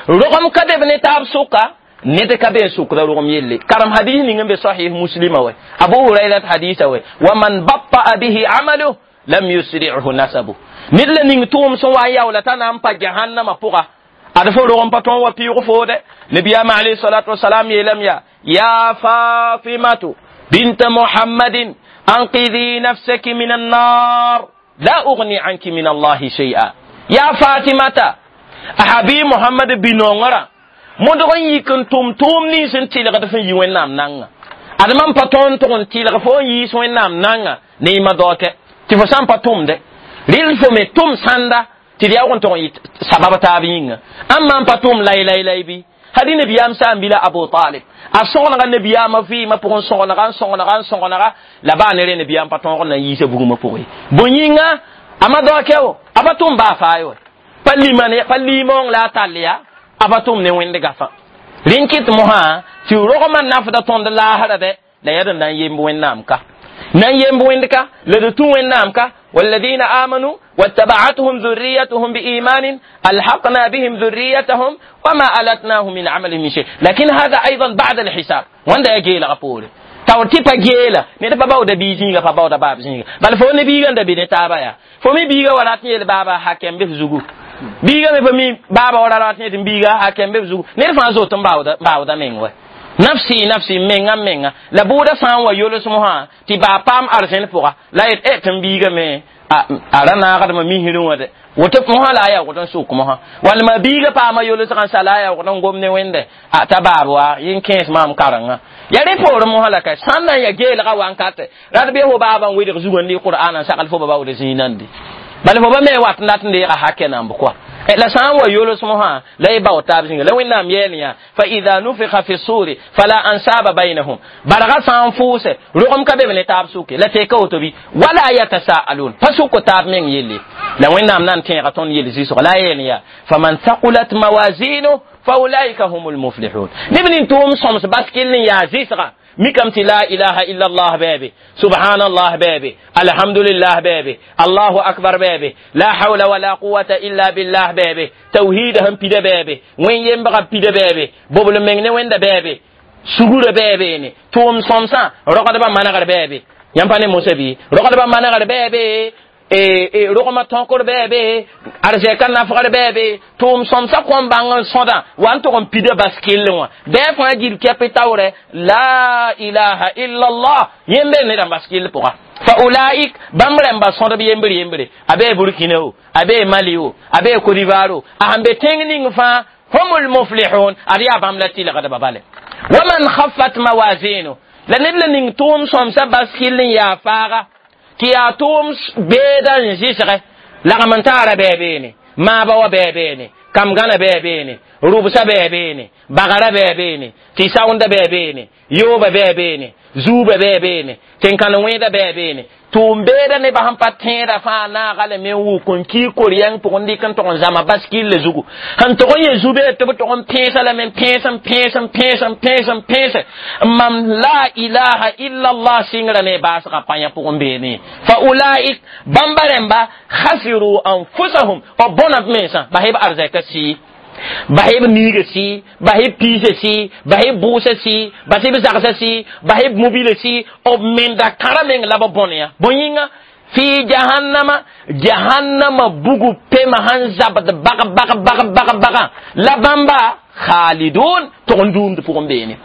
rogem ka be b ne taab sʋka ned ka be n sʋkda rogem yelle karem hadis ning n be sahih muslima wɛ abu hurairat hadisa wɛ wa man batta'a bihi amaluh lam yusri'hu nasabu ned la ning tʋʋm sẽn wa n yaoola t'a na n pa jahannama pʋga ad fo rogem pa tõn wa pɩʋg foode nabiyaamã alayhi salatu wasalam yeelame yaa ya fatimatu binta muhammadin anqidhi nafsaki min annar la ugni anki min allahi shay'a ya fatimata a habi muhammad binongara modg n yik n tʋm tʋʋm nins n tɩlgd sẽn yi wẽnnaam nanga ad mam pa tõnd tʋg n tɩlg fo n yiis wẽnnaam nanga ne yɩma daokɛ tɩ fo sã n pa tʋmde rɩl fo me tʋm sãnda tɩ d yaoog n tʋg n yɩ sabab taab yĩnga ãmb maan pa tʋm lay-lay-lay bɩ hadi nabiyaam sã n bila abu talib a sõgenega nabiyaamã vɩɩmã pʋgẽ sõgenega n sõgenega n sõgenega la baa ne rẽ nabiyaam pa tõog n na n yiisa bugmã pʋgẽ bõe yĩnga a ma daokɛ wo a pa tʋm baa faa ye wɛ pa lima pa limaong la a tall yaa a pa tʋm ne wẽnd gafã rẽn kɩt mosã tɩ rogmã nafda tõnd laasra dɛ la yaa d na n yemb wẽnnaam ka na n yemb wẽnd ka la d tũ wẽnnaam ka والذين آمنوا واتبعتهم ذريتهم بإيمان ألحقنا بهم ذريتهم وما ألتناهم من عملهم من شيء لكن هذا أيضا بعد الحساب وين يجي لغفور Taw tɩ pa geela ned pa baooda bii zĩiga pa baooda baab zĩiga bala fo ne biiga n da be ne taaba yaa fo mi biiga wa rat n yeel baaba hakɛm be f zugu biiga me pa mi baaba wa ra rat n yet n biiga hakɛm be f zugu ned fãa zot n baooda meng wa nafsi nafsi menga menga la bʋʋda sã n wa yols mosã tɩ baa paam arzẽn pʋga la yet ɛ tɩ n biiga me a ra naagdmã misrẽ wã de woto mosã la a yaoogd n sʋk mosã walma biiga paama yolsgã n sa la a yaoogd n gom ne wẽnde a t'a baab wa yẽn kẽes maam karengã ya rẽ poorẽ mosã la ka sãn na n ya geelga wankate rat bɩ fo baabã n wedg zugã n dɩ qur'an n sagl fo ba baood zĩig nandi bala fo ba me wat n dat n deega hakɛ namb koa la sã n wa yols mosã la y bao taab zĩnga la wẽnnaam yeel yã fa ida nufixa fi suri fala ansaba bainahum barga sã n fʋʋse rogem ka be b ne taab sʋke la teka woto bɩ wala yatasaalun pa sʋk taab meng yelle la wẽnnaam na n tẽega tõnd yel zɩsg la a yeel yaa faman thaqulat mawazinu faulaika hum lmuflihun neb nin tʋʋm sõms baskill n yaa zɩsga mikam tɩ la ilaha illa allah bɛɛbe subhanallah bɛɛbe alhamdulillah bɛɛbe allahu akbar bɛɛbe la hawla wala quwata illa billah bɛɛbe tawhida sẽn pida bɛɛbe wẽn yembga pida bɛɛbe bobl meng ne wẽnda bɛɛbe sugurã bɛɛbeene tʋʋm sõmsã rogdbã manegr bɛɛbe yãmb pa ne mosa bɩ rogdbã manegr bɛɛbe rogmã tõkr bɛɛbe arzɛka nafgr bɛɛbe tʋʋm sõmsã kõn bãng n sõda wa n tʋg n pida bas kell wã bɩ fãa gil kɛp taoorɛ la ilaha illallah yembre nedã bas kell pʋga fa ulaik bãmb rãmba sõdb yembre yembre a bee burkina o a bee mali o a bee cote d'ivoire o a sẽn be tẽng ning fãa hum lmuflihun ad yaa bãmb la tɩlgdba bale waman khaffat mawazinu la ned la ning tʋʋm sõmsã bas kell n yaa faaga tɩ yaa tʋʋm beeda n zɩsgɛ lagm n taara bɛɛ beene maaba wa bɛɛ beene kam gãna bɛɛ beene rʋbsã bɛɛ beene bagara bɛɛ beene tɩ saoonda bɛɛ beene yooba bɛɛ beene zuuba bɛɛ beene tẽn-kãn wẽeda bɛɛ beene tʋʋm beeda nebã sẽn pa tẽeda fãa naaga lame n wʋk n kii kor-yɛng pʋgẽ dɩk n tog n zãma baskille zugu sẽn tog n yẽ zu-beed tɩ b tog n pẽesa lame n pẽes n pẽes n pẽes n pẽes n pẽese mam la ilaha illallah sɩngrã ne baasgã pãyã pʋgẽ beene fa ulaik bãmba rẽmba khasiru anfusahum b bõna b mensã bas b arzɛka sɩɩ basɩ b niiga sɩ basɩ b piisã sɩ basɩ b bʋʋsã sɩ basɩ b zagsã sɩ basɩ b mobila sɩ b menda kãra meng la b bõne yã bõe yĩnga fi jahannama jahannama bugu pema sẽn zabd bag bag bag bag baga la bãmba khalidun tʋg n dũumd pʋgẽ beene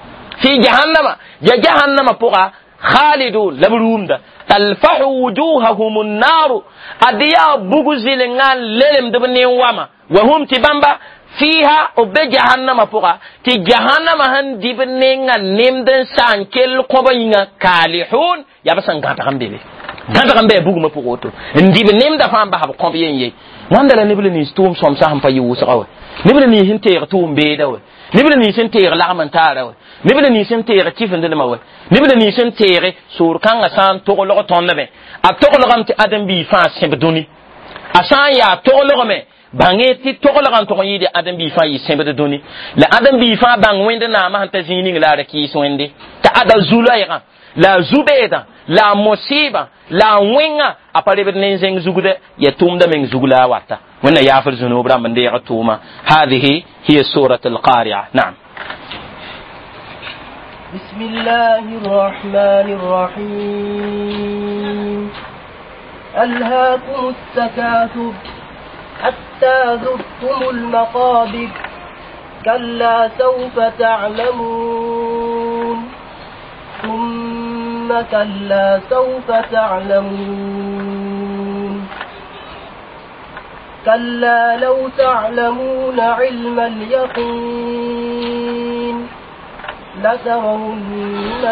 fi jahannama ya jahannama pʋga khalidun la b rũumda talfahu wujuhahum nnaru ad yaa bugu zɩlengã n lelemd b nin-wama wa hum tɩ bãmba fiha b be jahannama pʋga tɩ jahannama sẽn dɩ b nenga nemd n sa n kell kõba yĩnga kalihun yaa b sẽn gãdg n be be gãdg n bɩ bugmã pʋg woto n dɩ b nemda fãa n bas b kõb yen ye wãnda la neb la nins tʋʋm sõmsã sẽn pa yɩ wʋsga wɛ neb la nins sẽn teeg tʋʋm beeda wɛ neb la nins sẽn teeg lagm n taara wɛ neb la nins sẽn teeg kifendlmã wɛ neb la nins sẽn teege soor kãngã sã n toglg tõndame a toglgame tɩ ãdem-biig fãa sẽb dũni a sã n yaa toglgme bãnge tɩ toglgã n tʋg n yɩɩd ãdem-biig fãa yɩ sẽbd dũni la ãdem-biig fãa bãng wẽnd naamã sẽn ta zĩig ning la a ra kɩɩs wẽnde t'a ada zu-loɛɛgã la a zu-beedã la a mosɩɩbã la a wẽngã a pa rebd ne zẽng zugdɛ ya tʋʋmda meng zug la a wata wẽnna yaafr zũnub rãmb n deeg tʋʋma hadihi hiya surat alqaria naam بسم الله الرحمن الرحيم ألهاكم التكاثر حتى زرتم المقابر كلا سوف تعلمون ثم كلا سوف تعلمون كلا لو تعلمون علم اليقين لترون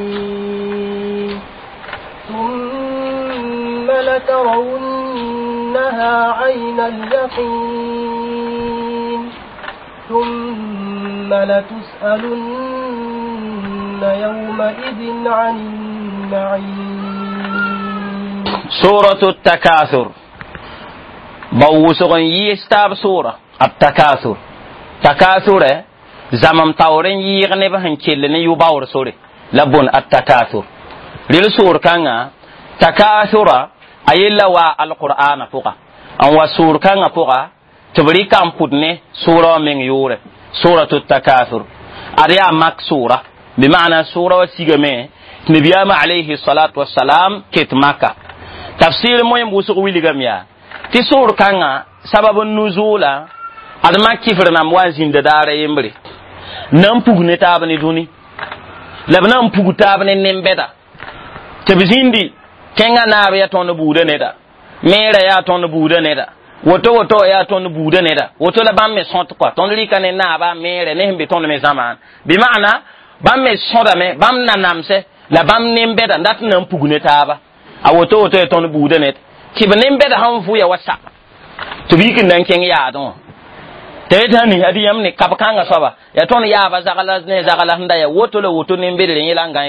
الجحيم ثم لترونها عين اليقين ثم لتسألن يومئذ عن النعيم. سورة التكاثر بوسغن يستاب سورة التكاثر تكاثر zamam taoor n yɩɩg neb sẽn kell ne yʋ-baoor sore la bõn attakasur rel soor kãnga takasura a yella wa alqur'ana pʋga n wa soor kãngã pʋga tɩ b rɩka n pʋd ne soora wã meng yʋʋrɛ suratu takasur ad yaa mak soora Bɩ maana sʋʋra wa sigame tɩ nabiyaamã alayhi salatu wasalam ket Maka. Tafsir moẽm wʋsg wilgame yaa tɩ sʋʋr kãngã sabab n nuzʋʋla ad mak kifr nãmb wa n zĩnda daara yembre na n pug ne taab ne dũni, la b na n pug taab ne nen-bɛda tɩ b zĩndi kẽngã naab yaa tõnd buudã neda, meerã yaa tõnd buudã neda, woto woto yaa tõnd buudã neda, woto la bãmb me sõt kɔa. Tõnd rɩka ne naaba, meerã ne sẽn be tõnd me zãmaan, bɩ maana bãmb me sõdame, bãmb nanamsɛ la bãmb nen-bɛda dat n na n pug ne taaba. A woto woto ya tõnd buudã ned tɩ b nen-bɛda sãn vʋya wa sa tɩ b yik n na n kẽng yaadẽ wã tɩ yetɩ sã nis adi yãmb ne kab kãngã soaba yaa tõnd yaaba zagla ne zagla sẽn da ya woto la woto nen-bedre yẽla n gãe.